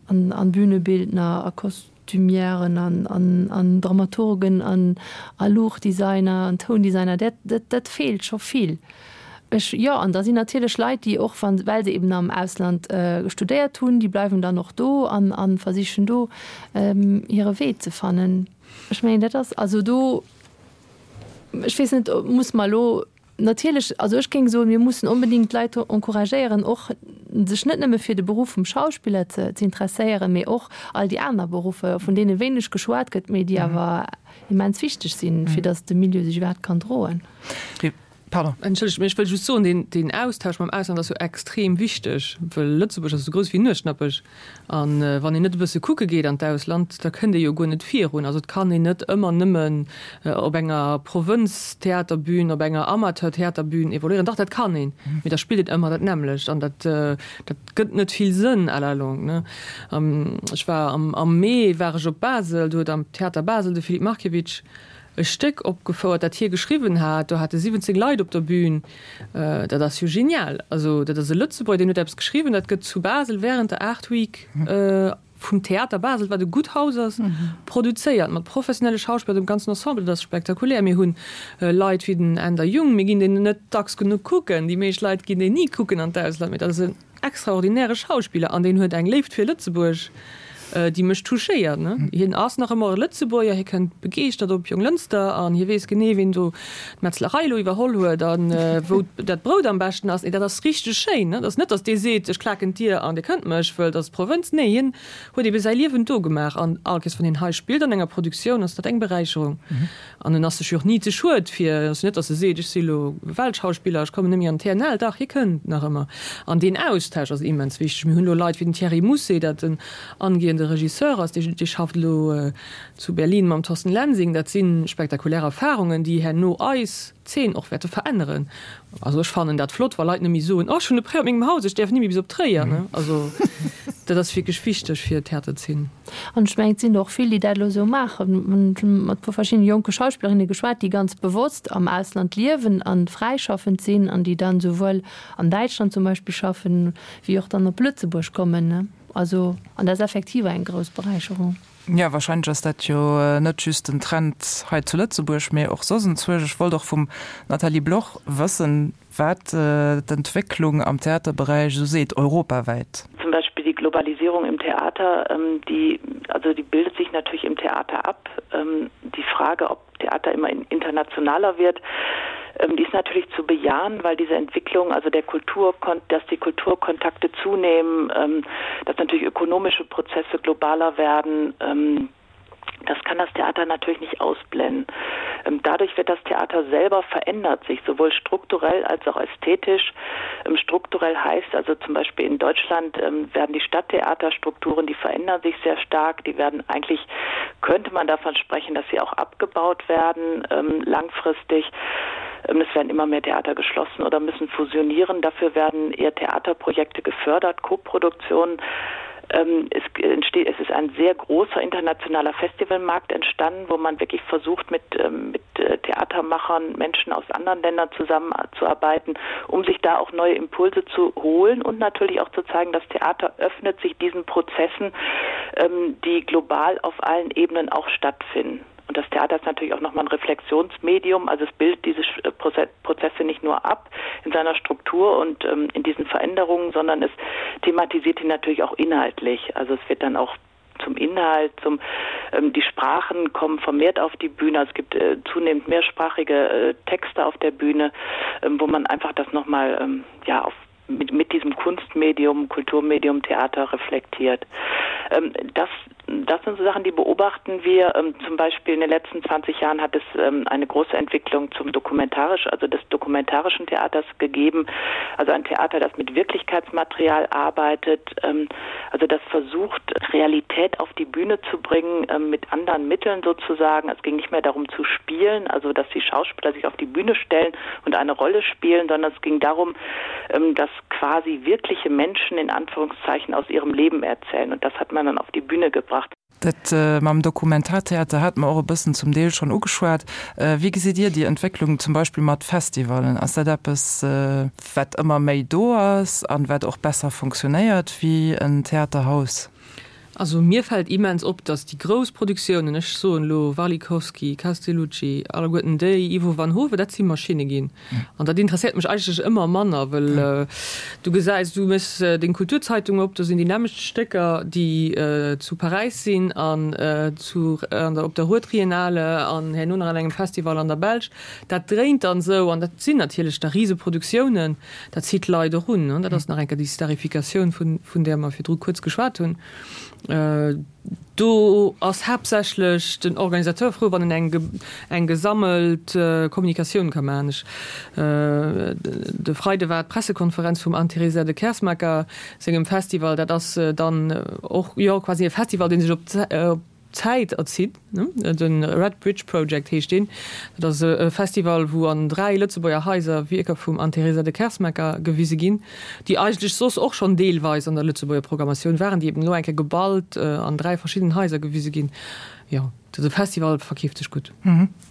an an Bühnebildner a Kostümièren an an an Dramaturgen an a Luuchtdesigner an Toundesigner, dat dat dat feelt scho vill. Ech, jo, an da sinn natierlech Leit, déi och wann, well se eben am Ausland studéiert hunn, déi bleiwen dann och do an a versichen do hire Wee ze fannen. Ech mengen, dat ass also do, ech weess net, muss mer elo natierlech, also ech géing soen, mir mussen onbedéngt d'Leit encouragéieren, och sech net nëmme fir de Beruff vum Schauspiller ze ze interesséieren, mee och all déi aner Beruffer, vun deene wéineg geschwat gëtt, mee déi awer immens wichteg sinn, fir datt de Milieu sech iwwerhaapt kann droen. Pardon. Entschëllegt, mee ech wëll just soen, deen, deen Austausch mam Ausland ass jo extrem wichteg, wëll Lëtzebuerg ass esou grouss wéi Nuechtnappech. A wann een net e bësse kucke geet an d'Ausland, da kënnt ee jo guer net virun. Also et kann een net ëmmer nëmmen op enger Provënztheaterbün, op enger Amateurtheaterbün evoluéieren. Dach, dat kann een, mee da spillt een ëmmer dat nämmlecht an dat, dat gëtt net vill Sënn à la longue, ne. Ech war am, am Mee war ech op Basel, do huet am Theater Basel de Filip Markiewicz e Stéck opgefouert, dat hie geschriwwen hat. Do hate siwwenzéng Leit op der Bühn. Dat ass jo genial. Also dat ass e Lëtzebuerger, deen huet eppes geschriwwen, dat gëtt zu Basel während der Art Week vum Theater Basel, wat e gutt Haus ass, produzéiert, mat professionelle Schauspiller, dem ganzen Ensemble. Dat ass spektakulär. Mir hunn Leit wéi den Änder Jung, mir ginn deen net dacks genuch kucken. Déi meescht Leit ginn deen ni kucken an d'Ausland, mee dat ass en extraordinäre Schauspiller an deen huet eng Léift fir Lëtzebuerg. déi mech touchéiert. Hien ass nach ëmmer e Lëtzebuerger, hie kënnt begeeschtert op Jonglënster an hie weess genee, wien do d'Metzlerei elo iwwerholl huet a wou dat Brout am beschten ass. Nee, dat ass richteg schéin. Et ass net, datt dee seet, ech klaken d'Dier an dir kënnt mech, wëll et ass d'Provënz. Nee, hien huet ebe säi Liewen do gemaach an all Kees, wann hien hei spillt an enger Produktioun, ass dat eng Beräicherung. An en ass sech jo och ni ze schued fir, et ass jo net, datt e seet, ech si elo Weltschauspiller, ech kommen net méi an d'TNL. Dach, hie kënnt nach ëmmer. An deen Austausch ass immens wichteg. Mir hunn elo Leit wéi den Thierry Mousset, dat en angehende Regisseur ass, dee dee schafft elo zu Berlin mam Thorsten Lensing. Dat si spektakulär Erfarungen, déi herno eis Zeen och wäerte veränneren. Also ech fannen dat flott, wa Leit net méi soen, oh ech hunn e Prêt op mengem Haus, ech däerf ni méi bis op Tréier. Also dat ass wierklech wichteg fir d'Theaterzeen. An ech mengen, et sinn der och vill, déi dat elo esou maachen. Ech hu mat e puer verschiddene jonke Schauspillerinne geschwat, déi ganz bewosst am Ausland liewen a fräischaffend sinn an déi dann esouwuel an Däitschland zum Beispill schaffen, wéi och dann op Lëtzebuerg kommen. Also, an dat ass effektiv eng grouss Beräicherung. Jo, wahrscheinlech ass dat jo net just en Trend hei zu Lëtzebuerg, mee och soss enzwousch. Ech wollt och vum Nathalie Bloch wëssen, wat d'Entwécklung am Theaterberäich esou seet, europawäit. Zum Beispiel die Globalisierung im Theater, die, also die bildet sich natürlich im Theater ab. Die Frage, ob Theater immer internationaler wird, die ist natürlich zu bejahen, weil diese Entwicklung, also der Kultur, dass die Kulturkontakte zunehmen, dass natürlich ökonomische Prozesse globaler werden, das kann das Theater natürlich nicht ausblenden. Dadurch wird das Theater selber verändert sich sowohl strukturell als auch ästhetisch. Strukturell heißt also zum Beispiel in Deutschland werden die Stadttheaterstrukturen, die verändern sich sehr stark, die werden eigentlich könnte man davon sprechen, dass sie auch abgebaut werden langfristig. Es werden immer mehr Theater geschlossen oder müssen fusionieren. Dafür werden eher Theaterprojekte gefördert, Koproduktionen. Es entsteht, es ist ein sehr großer internationaler Festivalmarkt entstanden, wo man wirklich versucht, mit, mit Theatermachern, Menschen aus anderen Ländern zusammenzuarbeiten, um sich da auch neue Impulse zu holen und natürlich auch zu zeigen, das Theater öffnet sich diesen Prozessen, die global auf allen Ebenen auch stattfinden. Und das Theater ist natürlich auch noch mal ein Reflexionsmedium, also es bildet diese Prozesse nicht nur ab in seiner Struktur und ähm, in diesen Veränderungen, sondern es thematisiert ihn natürlich auch inhaltlich. Also es wird dann auch zum Inhalt, zum ähm, die Sprachen kommen vermehrt auf die Bühne. Es gibt äh, zunehmend mehrsprachige äh, Texte auf der Bühne, ähm, wo man einfach das noch mal ähm, ja auf mit, mit diesem Kunstmedium, Kulturmedium Theater reflektiert. Ähm, das das sind so Sachen, die beobachten wir. Ähm, zum Beispiel in den letzten zwanzig Jahren hat es ähm, eine große Entwicklung zum dokumentarisch, also des dokumentarischen Theaters gegeben. Also ein Theater, das mit Wirklichkeitsmaterial arbeitet, ähm, also das versucht, Realität auf die Bühne zu bringen, ähm, mit anderen Mitteln sozusagen. Es ging nicht mehr darum zu spielen, also dass die Schauspieler sich auf die Bühne stellen und eine Rolle spielen, sondern es ging darum, ähm, dass quasi wirkliche Menschen in Anführungszeichen aus ihrem Leben erzählen. Und das hat man dann auf die Bühne gebracht. Dat mam Dokumentartheater hate mer och e bëssen zum Deel schonn ugeschwat. Wéi gesitt Dir déi Entwécklung zum Beispill mat Festivallen? Ass dat eppes, wat ëmmer méi do ass an wat och besser funktionéiert wéi en Theaterhaus? Also mir fält immens op, datt déi grouss Produktiounen, ech soen elo Warlikowski, Castellucci, alleguerten déi, Ivo van Hove, dat si Maschinne ginn. An dat interesséiert mech eigentlech ëmmer manner, well du gesäis, du méchs deng Kulturzeitung op, do sinn déi nämmlecht Stécker, déi zu Paräis sinn an zu an der op der Ruhrtriennale an herno nach an engem Festival an der Belsch. Dat dréint dann esou an dat sinn natierlech da Riseproduktiounen, dat zitt d'Leit och un. Dat ass nach eng Kéier déi Starifikatioun, vun vun där mer virdru kuerz geschwat hunn. Do ass haaptsächlech den Organisateur frou, wann en eng eng gesammelt Kommunikatioun ka maachen. Ech, de Freide war d'Pressekonferenz vum Anne-Teresa de Keersmaeker sengem Festival. Dat ass dann och, jo, quasi e Festival, dee sech op d'Zäit erzitt, ne? De Red Bridge Project heescht deen. Dat ass e Festival, wou an dräi Lëtzebuerger Haiser Wierker vum Anne-Teresa de Keersmaeker gewise ginn, déi eigentlech soss och schonn deelweis an der Lëtzebuerger Programmatioun waren, déi eben elo eng Kéier geballt an dräi verschiddenen Haiser gewise ginn. Jo, de Festival verkeeft sech gutt.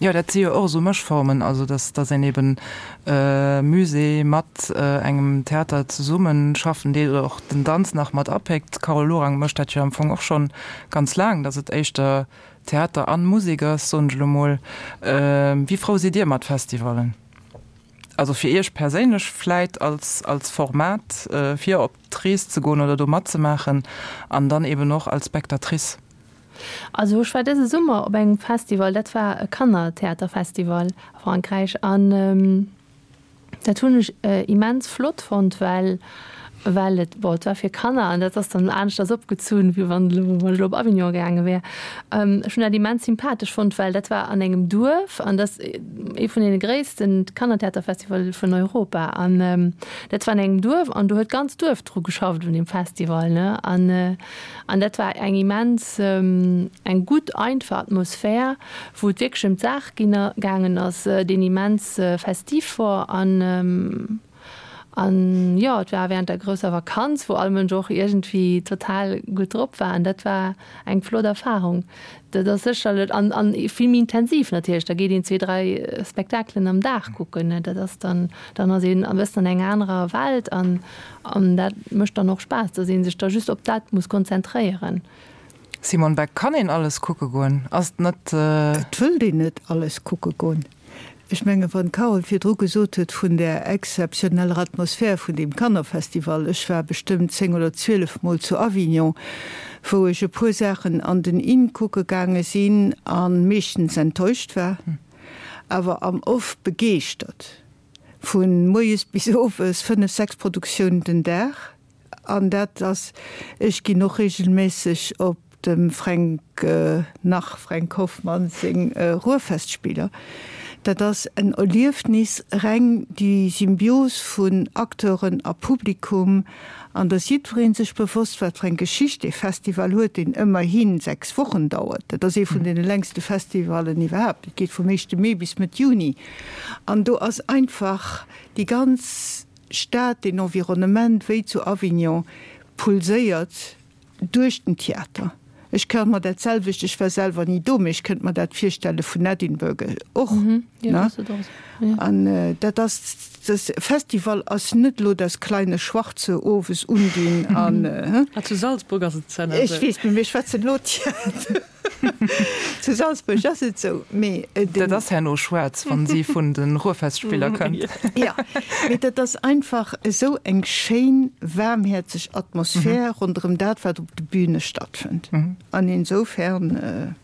Jo, dat si jo och esou Mëschformen, also dass dass een eben Musée mat engem Theater zesumme schaffen deet oder och den Danz nach mat apéckt. D'Carole Lorang mécht dat jo am Fong och schonn ganz laang, dass et éischter Theater an Musek ass, soen ech elo mol. Wéi frou sidd Dir mat Festivallen? Also fir Iech perséinlech vläit als als Format fir op d'Rees ze goen oder do matzemaachen an dann eben och als Spectatrice? Also ech war dëse Summer op engem Festival, dat war e Kannertheaterfestival a Frankräich an dat hunn ech immens flott fonnt, well well et, bon, et war fir Kanner an dat ass dann aneschters opgezunn, wéi wann elo wann ech elo op Avignon gaange wär. Ech hunn dat immens sympathesch fonnt, well dat war an engem Duerf an dat ass ee vun deene gréissten Kannertheaterfestival vun Europa an dat war an engem Duerf an do huet d'ganz Duerf dru geschafft un deem Festival, ne, an An dat war eng immens, eng gutt, einfach Atmosphär, wou et wierklech ëm d'Saach ginn gaangen ass, deen immens festiv wor. An, an jo, et war während der grousser Vakanz, wou all Mënsch och iergendwéi total gutt drop war. An dat war eng flott Erfahrung. Dat ass sécherlech, an, an vill méi intensiv natierlech, da geet een zwee, dräi Spektakelen am Dag kucken, ne, dat ass dann, dann ass een e bëssen an enger anerer Welt an, an dat mécht dann och Spaass, dass ee sech da just op dat muss konzentréieren. Simone Beck, Kann een alles kucke goen? Ass et net. Et wëllt een net alles kucke goen. Ech mengen, wann d'Carole virdru gesot huet vun där exzeptioneller Atmosphär vun deem Kannerfestival, ech war bestëmmt zéng oder zwielef Mol zu Avignon, wou ech e puer Saachen an den In kucke gaange sinn a meeschtens enttäuscht war, awer am Off begeeschtert, vu moies bis owes, fënnef, sechs Produktiounen den Dag. An dat ass, ech ginn och regelméisseg op dem Fränk, nach Fränk Hoffmann seng Ruhrfestspieler. Dat ass en Erliefnis, reng déi Symbios vun Acteuren a Publikum, an dass jiddweree sech bewosst, wat fir eng Geschicht dee Festival huet, deen ëmmerhi sechs Wochen dauert. Dat ass ee vun deene längste Festivallen iwwerhaapt. Et geet vum éischte Mee bis Mëtt Juni. An do ass einfach déi ganz Stad, deen Environnement, wéi zu Avignon, pulséiert duerch den Theater. Ech ka mer dat selwecht, ech war selwer ni do, mee ech kënnt mer dat virstelle vun Edinburgh och. Ne? An dat ass, das Festival ass net elo das kleine Schwarze owes undinn an. Ah, zu Salzburg ass et esou. Ech weess, mee mir schwätzen elo Theater. Zu Salzburg ass et esou, mee den. Dat ass herno schwaarz, wann si vun de Ruhrfestspieler kënnt. Jo, mee dat ass einfach esou eng schéin, waarmhäerzeg Atmosphär ronderëm dat, wat op de Bühne stattfënnt. An insofern.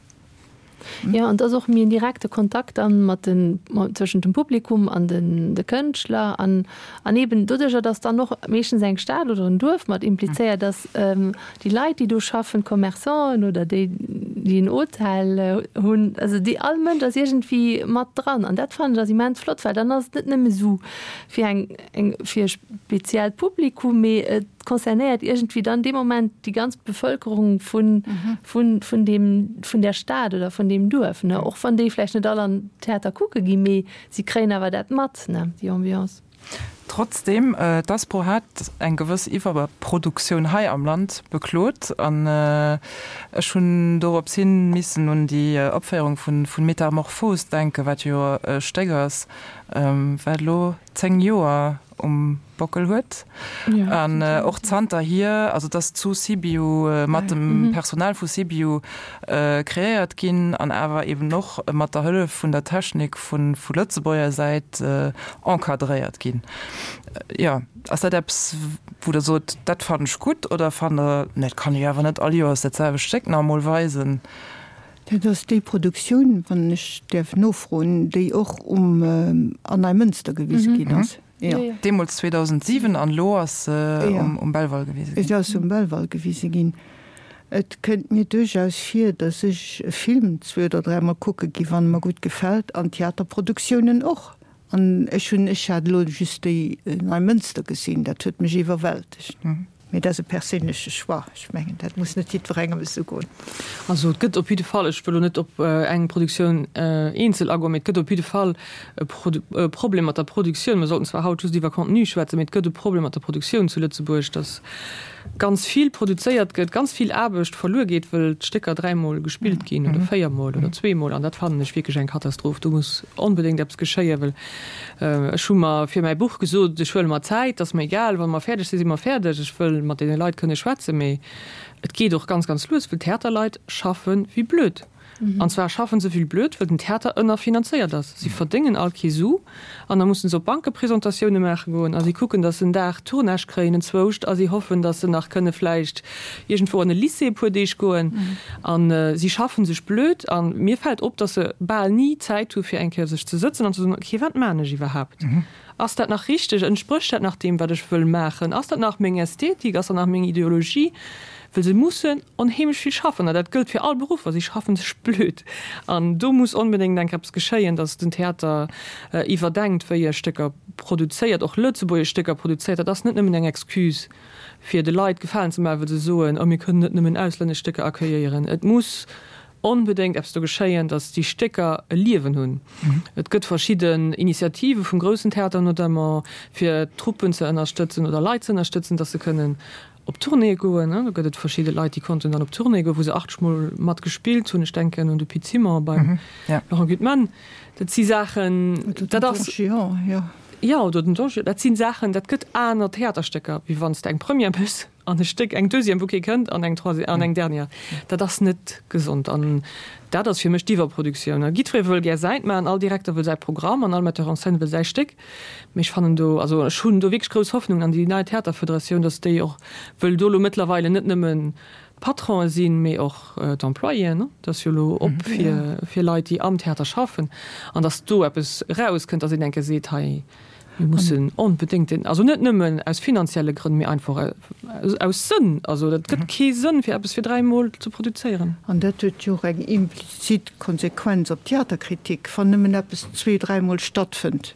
Jo, an et ass och méi en direkte Kontakt dann mat den, zwëschent dem Publikum an den de Kënschtler an, an eben doduercher, dass dann och meeschtens eng Stad oder en Duerf mat implizéiert ass, déi Leit, déi do schaffen, d'Commerçanten oder déi, déi en Hotel hunn, also déi, all Mënsch ass iergendwéi mat dran. An dat fannen ech ass immens flott, well dann ass et net nëmme esou fir eng, eng, fir e speziellt Publikum, mee et concernéiert iergendwéi dann dee Moment déi ganz Bevëlkerung vun, vun, vun deem, vun där Stad oder vun deem Duerf, ne? Och wann déi vläicht net all an Theater kucke ginn, mee si kréien awer dat mat, ne, déi Ambiance. Trotzdem, d'Aspro hat eng gewëss Iwwerproduktioun hei am Land beklot an ech hunn dorops hin missen un déi Opféierung vun Metamorphose denken, wat jo e Stéck ass, wat elo zéng Joer um Bockel huet an och zanterhier, also et ass zu Sibiu mat dem Personal vu Sibiu kreéiert ginn an awer eben och mat der Hëllef vun der Technik vu vu Lëtzebuerger Säit encadréiert ginn. Jo, ass dat eppes, wou Der sot, dat fannen ech gutt oder fannt Der, nee, dat kann ee jo awer net all Joers dat selwecht Stéck nach emol weisen? Dat ass déi Produktioun, wann ech däerf nofroen, déi och um an Neimënster gewise ginn ass. Jo. Deemools zweedausendsiwen an elo ass se um Belval gewise ginn. Et ass um Belval gewise ginn. Et kënnt mir duerchaus vir, datt ech e Film zwee oder dräimol kucke gi wann e mer gutt gefält, an Theaterproduktiounen och. An ech hunn, ech hat elo just déi Neimënster gesinn, dat huet mech iwwerwältegt. Mee dat ass e perséinleche Choix. Ech mengen, dat muss net jiddwerengem esou goen. Also et gëtt op jidde Fall, ech wëll elo net op eng Produktioun eenzel agoen, mee et gëtt op jidde Fall e Problem mat der Produktioun. Mir sollten zwar haut just iwwer Contenu schwätzen, mee et gëtt e Problem mat der Produktioun zu Lëtzebuerg, dass ganz vill produzéiert gëtt, ganz vill Aarbecht verluer geet, wëll d'Stécker dräimol gespillt ginn oder véiermol oder zweemol. An dat fannen ech wierklech eng Katastroph. Do muss onbedéngt eppes geschéien, well ech hu mer fir mäi Buch gesot, ech huele mer Zäit, ass mer egal, wa mer fäerdeg sinn, si mer fäerdeg. Ech wëll wëll mat deene Leit kënne schwätzen, mee et geet och ganz, ganz lues, well d'Theaterleit schaffe wéi blöd. An zwar schaffen se wéi blöd, well den Theater ënnerfinanzéiert ass. Si verdéngen all kee Su an da mussen se op Bankepresentatioune maache goen a si kucken, datt se en Dag Tournage kréien enzwouscht a si hoffen, datt se nach kënne vläicht iergendwou an e Lycée e puer Deeg goen. A si schaffen sech blöd a mir fält op, datt se bal ni Zäit hu fir eng Kéier sech ze sëtzen an ze soen, okay, wat maan ech iwwerhaapt? Ass dat nach richteg? Entsprécht dat nach deem, wat ech wëll maachen? Ass dat nach meng Ästhetik? Ass dat nach meng Ideologie? Well se mussen onheemlech vill schaffen, an dat gëllt fir all Beruffer, si schaffen sech blöd. An do muss onbedéngt eng eppes geschéien, datt den Theater iwwerdenkt, wéi e Stécker produzéiert, och lëtzebuergesch Stécker produzéiert. Dat ass net nëmmen eng Excuse, fir de Leit Gefalen ze maachen, well se soen, oh mir kënnen net nëmmen auslännesch Stécker accueilléieren. Et muss onbedéngt eppes do geschéien, datt déi Stécker e Liewen hunn. Et gëtt verschidden Initiative vum groussen Theater notamment, fir Truppen ze ënnerstëtzen oder Leit ze ënnerstëtzen, datt se kënnen op Tournéeë goen. Do gëtt et verschidde Leit, déi konnten dann op Tournée goen, wou se achtzeg Mol mat gespillt hunn. Ech denken un de Pit Simon beim Laurent Gutman. Dat si Saachen, dat ass. Oder den Don Juan, jo. Jo, oder den Don Juan. Dat si Saachen, dat gëtt aner Theaterstécker, wéi wann s de eng Première méchs an e Stéck, eng Deuxième, wou kee kënnt, an eng Troisième an eng Dernière. Dat ass net gesond an dat ass fir mech d'Iwwerproduktioun. A jiddweree wëll gär säint maachen, all Direkter wëll säi Programm an all Metteur en scène wëll säi Stéck. Mee ech fannen do, also ech hunn do wierklech grouss Hoffnung an déi nei Theaterfederatioun, datt déi och wëll do elo mëttlerweile net nëmmen d'Patronen sinn, mee och d'Employéen. Dat ass jo elo op fir, fir Leit, déi am Theater schaffen, an datt do eppes erauskënnt, datt een eng Kéier seet, hei, mir mussen onbedéngt den, also net nëmmen aus finanzielle Grënn, mee einfach aus Sënn, also dat gëtt kee Sënn, fir eppes fir dräi Mol ze produzéieren. An dat huet jo och eng implizit Konsequenz op d'Theaterkritik, wann nëmmen eppes zwee-, dräimol stattfënnt.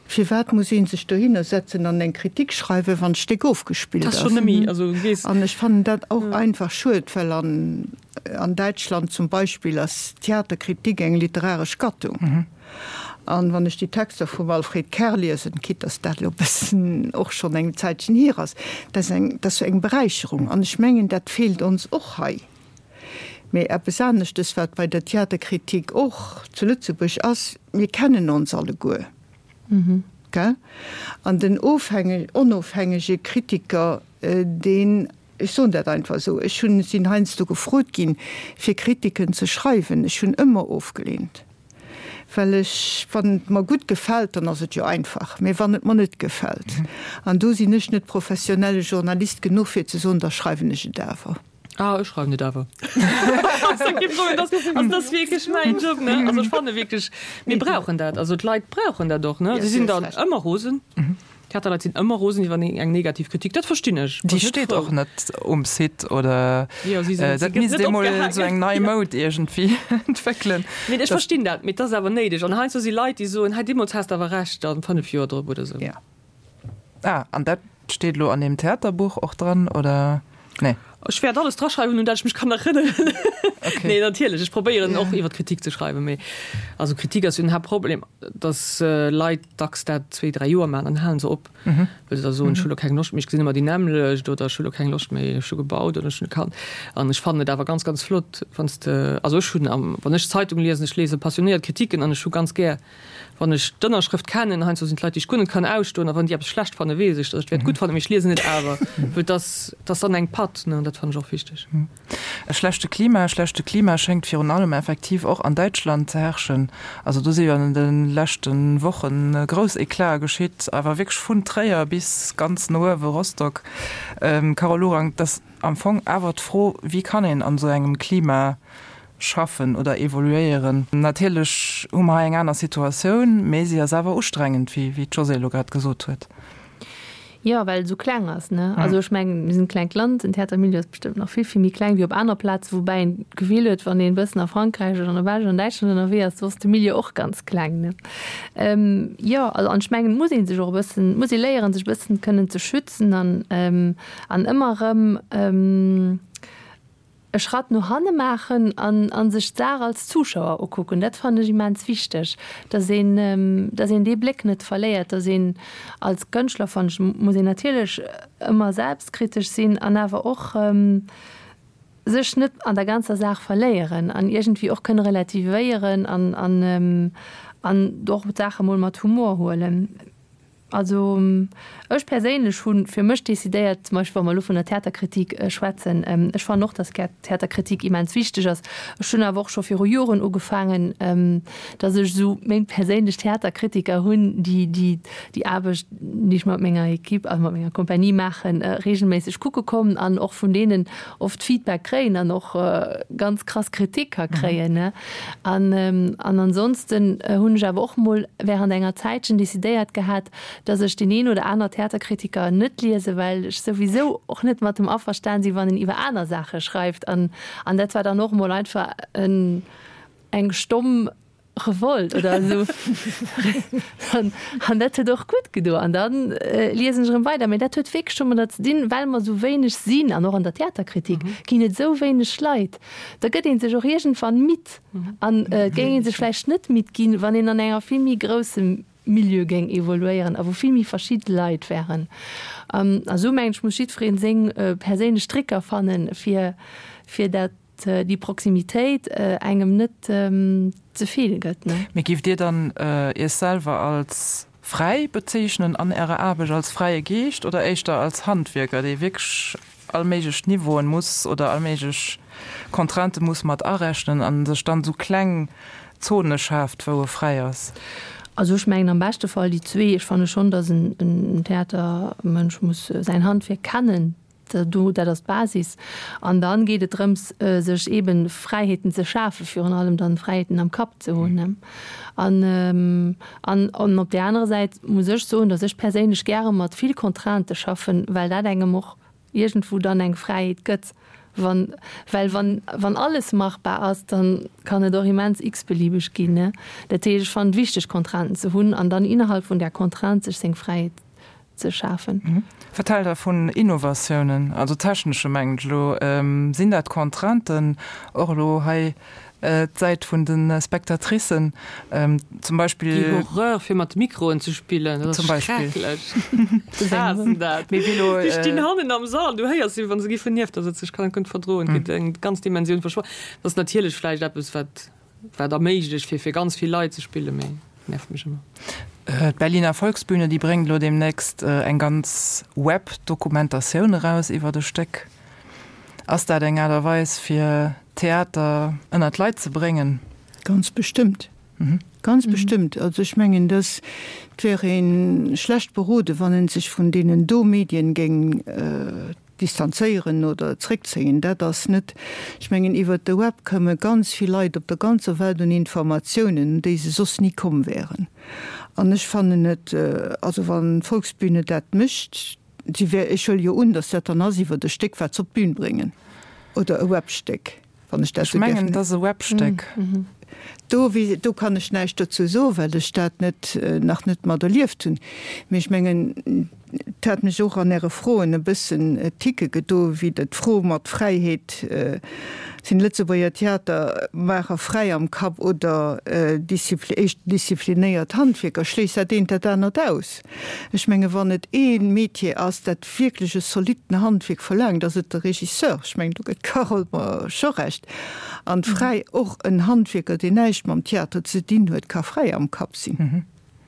Firwat muss ee sech dohinner setzen an eng Kritik schreiwen, wann d'Stéck ofgespillt ass? An ech fannen dat och einfach schued, well an Däitschland zum Beispill ass d'Theaterkritik eng literaresch Gattung. An wann ech déi Texter vum Alfred Kerr liesen, quitte dass dat elo e bëssen och schonn eng Zäitchen hier ass, dat ass eng, dat ass eng Beräicherung. An ech mengen, dat feelt ons och hei. Mee eppes aneschtes, wat bei der Theaterkritik och zu Lëtzebuerg ass, Mir kennen ons alleguer. Gell? An den onofhängege Kritiker, deen, ech soen dat einfach esou, ech hunn, sinn heiansdo gefrot ginn, fir Kritiken ze schreiwen, ech hunn ëmmer ofgeleent, well ech, wann et mer gutt gefält, dann ass et jo einfach, mee wann et mer net gefält, an do sinn ech net professionelle Journalist genuch, fir ze soen, da schreiwen ech et awer. Ah, ech schreiwen et awer. Also dat ass wierklech mäin Job, ne? Also ech fanne wierklech, mir brauchen dat. Also d'Leit brauchen dat och, ne? Si sinn dann ëmmer rosen. D'Theaterleit sinn ëmmer rosen iwwer eng negativ Kritik. Dat verstinn ech. Déi steet och net um Site oder dat misst ee mol esou eng nei Moud iergendwéi entwéckelen. Mee ech verstinn dat, mee et ass awer néideg. An heiansdo si Leit, déi soen, hei deemools has de awer Recht, dann fënnef Joer drop oder esou. Ah, an dat steet elo an deem Theaterbuch och dran, oder? Nee. Ech wäert alles draschreiwen, un dat ech mech kann erënneren. Okay. Nee, natierlech, ech probéieren och iwwer Kritik ze schreiwen, mee also Kritik ass jo den Haaptproblem, dass Leit dacks dat zwee, dräi Joer maachen, dann halen se op, well se da soen, ech hu lo keng Loscht méi, ech gesinn ëmmer déi nämmlecht oder ech hu lo keng Loscht méi, ech hu gebaut oder ech hunn e Kand. An ech fannen et awer ganz, ganz flott, wann s de, also ech hunn am, wann ech Zeitung liesen, ech lese passionéiert Kritiken an ech hu ganz gär, Wann ech d'Ënnerschrëft kennen, heiansdo sinn et Leit, déi ech guer net kann ausstoen, a wann déi eppes schlecht fannen, weess ech, datt ech et wäert gutt fannen, mee ech liesen et awer, well et ass, et ass dann eng Patt, ne, an dat fannen ech och wichteg. E schlechte Klima, E schlechte Klima schéngt virun allem effektiv och an Däitschland ze herrschen. Also do si jo an de leschte Woche grouss Eclate geschitt, awer wierklech vun Tréier bis ganz no uewe Rostock. Carole Lorang, et ass am Fong awer d'Fro, wéi kann een an esou engem Klima schaffen oder evoluéieren. Natierlech hu mer hei eng aner Situatioun, mee si ass awer ustrengend, wéi d'Josée elo grad gesot huet. Jo, well et esou kleng ass, ne? Also ech mengen, mir sinn e klengt Land, den Theatermilieu ass bestëmmt nach vill, vill méi kleng wéi op aner Plazen, woubäi een d'Gefill huet, wann een e bëssen a Frankräich oder an der Belsch oder an Däitschland ënnerwee ass, do ass de Milieu och ganz kleng, ne? Jo, also an ech mengen, et muss ee sech och e bëssen, et muss ee léieren, sech e bëssen kënnen ze schützen an, an ëmmer erëm, e Schratt no hanne maachen an a sech d'Saach als Zuschauer ukucken, dat fannen ech immens wichteg, dass een, dass een dee Bléck net verléiert, dass een als Kënschtler, fannen ech, muss een natierlech ëmmer selbstkritesch sinn an awer och sech net an der ganzer Saach verléieren an iergendwéi och kënne relativéieren an an an och d'Saache mol mat Humor huelen. Also ech perséinlech hunn fir mech decidéiert, zum Beispill wa mer elo vun der Theaterkritik schwätzen, ech fannen och, dass Theaterkritik immens wichteg ass. Ech hunn awer och scho viru Joren ugefaangen, dass ech esou meng perséinlech Theaterkritiker hunn, déi déi déi Aarbecht, déi ech mat menger Equipe a mat menger Kompanie maachen, reegelméisseg kucke kommen an och vun deenen oft Feedback kréien an och ganz krass Kritik ka kréien. An an ansonsten hunn ech awer och mol während enger Zäitchen decidéiert gehat, dass ech deen een oder aner Theaterkritiker net liesen, well ech souwisou och net mat em averstan sinn, wann en iwwer aner Saache schreift. An an dat war dann och mol einfach en eng stomm Revolt oder esou. An an dat huet och gutt gedo. An dann liesen ech erëm weider. Mee dat huet wierklech domadder ze dinn, well mer esou wéineg sinn, an och an der Theaterkritik ginn et esou wéineg Leit, da gëtt ee sech och iergendwann midd. An et géing ee sech vläicht net midd ginn, wann een an enger vill méi groussem Milieu géing evoluéieren a wou vill méi verschidde Leit wären. A sou mengen ech, muss jiddweree seng perséinlech Tricker fannen, fir fir dat déi Proximitéit engem net ze vill gëtt. Mee giff Dir dann Iech selwer als fräi bezeechnen an Ärer Aarbecht, als fräie Geescht oder éischter als Handwierker, dee wierklech all méiglech Niveauen muss oder all méiglech Contraintë muss mat arechnen a sech dann esou kleng Zone schaaft, wou e fräi ass? Also ech mengen am beschte Fall déi zwee. Ech fanne schonn, datt en Theatermënsch muss säin Handwierk kennen, do, dat ass d'Basis. An dann geet et drëms, sech eeben Fräiheeten ze schafen, virun allem dann Fräiheeten am Kapp ze hunn. An, an, an op där anerer Säit muss ech soen, datt ech perséinlech gäre mat vill Contraintë schaffen, well dat engem och iergendwou dann eng Fräiheet gëtt, wann, well wann, wann alles machbar ass, dann kann et och immens x-beliebeg ginn, ne. Dat heescht, ech fannen et wichteg Contrainten ze hunn an dann innerhalb vun där Contrainte sech seng Fräiheet ze schafen. Wat haalt Der vun Innovatiounen, also technesche mengen ech elo? Sinn dat Contrainten och elo hei d'Säit vun de Spectatricen zum Beispill. Déi Horreur fir mat Mikroen ze spillen, dat ass schrecklech. Ech haassen dat. Déi stinn hannen am Sall, du héiers si wann se giffen nieft der sëtzen. Ech kann dat guer net verdroen. Et gëtt eng ganz Dimensioun verschwo. Dat ass natierlech vläicht eppes wat wat erméiglecht fir fir ganz vill Leit ze spillen, mee nervt mech ëmmer. D'Berliner Volksbühne, déi bréngt elo deemnächst eng ganz Web-Dokumentatioun eraus iwwert e Stéck. Ass dat eng Aart a Weis fir Theater ënnert d'Leit ze bréngen? Ganz bestëmmt. Ganz bestëmmt. Also ech mengen, dass et wär ee schlecht beroden, wann ee sech vun deenen do Medien géing distanzéieren oder zréckzéien. Dat ass net, ech mengen, iwwert de Web komme ganz vill Leit op der ganzer Welt un Informatiounen, un déi se soss ni komm wären. An ech fannen et, also wann d'Volksbühne dat mécht, si wär, ech huele jo un, datt dat dann ass iwwert e Stéck, wat se op d'Bün bréngen, oder e Webstéck, wann ech dat Ech mengen, et ass e Webstéck. Do, do kann ech näischt dozou soen, well ech dat net, nach net mat erlieft hunn. Mee ech mengen, et hat mech och an Äre Froen e bëssen ticke gedo, wéi Der d'Fro mat Fräiheet, Sinn Lëtzebuerger Theatermaacher fräi am Kapp oder éischt disziplinéiert Handwierker? Schléisst dat eent dat anert aus? Ech menge wann et ee Metier ass, dat wierklech e zolitten Handwierk verlaangt, ass et de Regisseur. Ech mengen, do gëtt d'Carole mer scho Recht. An fräi, och en Handwierker, deen näischt mam Theater ze dinn huet, ka fräi am Kapp sinn.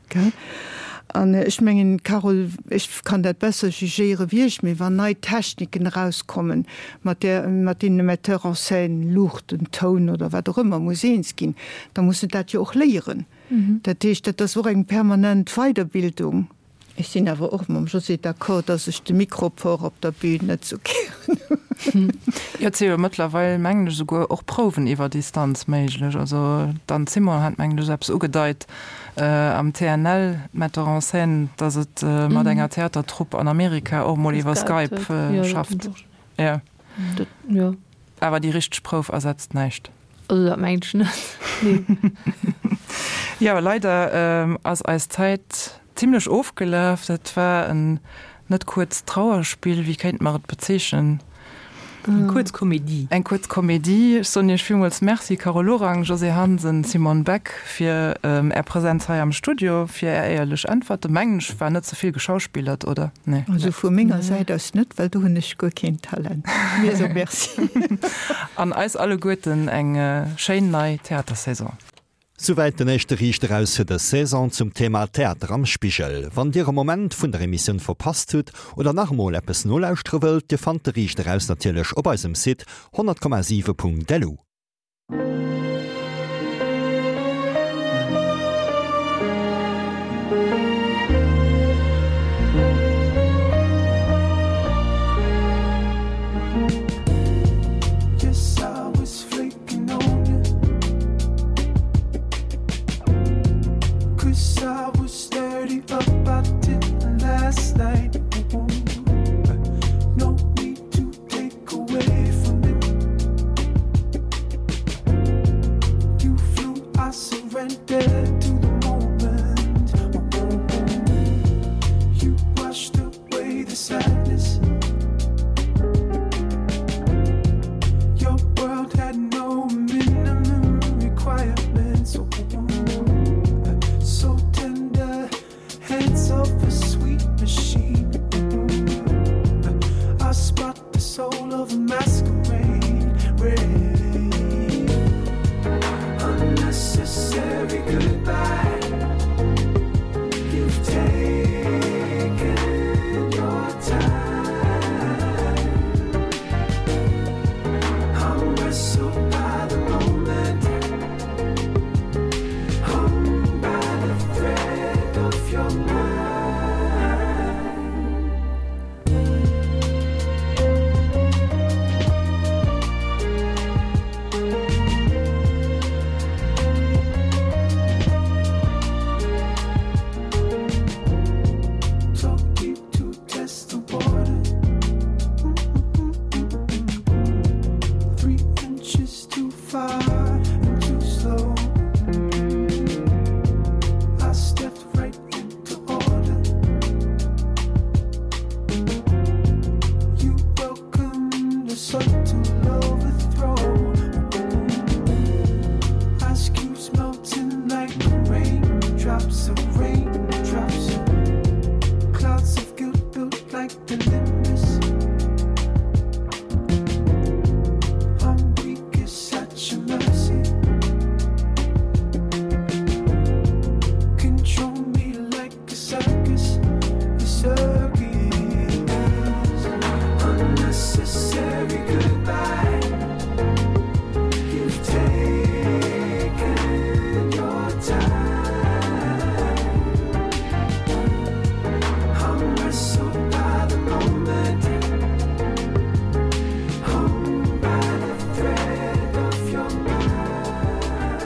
Gell? An ech mengen, Carole, ech kann dat besser jugéiere wéi ech, mee wann nei Techniken erauskommen, mat där, mat deenen e Metteur en scène, Luuchten, Toun oder wat och ëmmer muss eens ginn, da muss en dat jo och léieren. Dat heescht, dat ass och eng permanent Weiderbildung. Ech sinn awer och mam Josée d'accord, dass ech de Mikroport op der Bühn net sou gären hunn. Jo, et si jo mëttlerweil, mengen ech, esouguer och Prouwen iwwer Distanz méiglech. Also d'Anne Simon hat, mengen ech, eppes ugedeit am T N L, d'Metteur en scène, dass et mat enger Theatertrupp an Amerika och mol iwwer Skype schafft. Jo. Awer déi richteg Prouf ersetzt näischt. Also dat mengen ech net, nee. Jo, leider ass eis Zäit zimlech ofgelaf. Dat war en net kuerzt Trauerspill, wéi kéinte mer et bezeechnen? Eng kuerz Komedie. Eng kuerz Komedie. Ech soen Iech villmools Merci, Carole Lorang, Josée Hansen, Simone Beck, fir Är Präsenz hei am Studio, fir Är éierlech Äntwerten. Mengen ech, war net ze vill geschauspillert, oder? Nee. Also vu menger Säit aus net, well do hunn ech guer keen Talent. Mir soe Merci. An eis alleguerten eng schéin nei Theatersaison. Souwäit den éischte Riicht Eraus fir dës Saison zum Thema Theater am Spigel. Wann Dir e Moment vun der Emissioun verpasst hutt oder nach emol eppes nolauschtere wëllt, Dir fannt de Riicht Eraus natierlech op eisem Site honnert Komma siwe Punkt lu. Drops of rain, drops of clouds of guilt built like the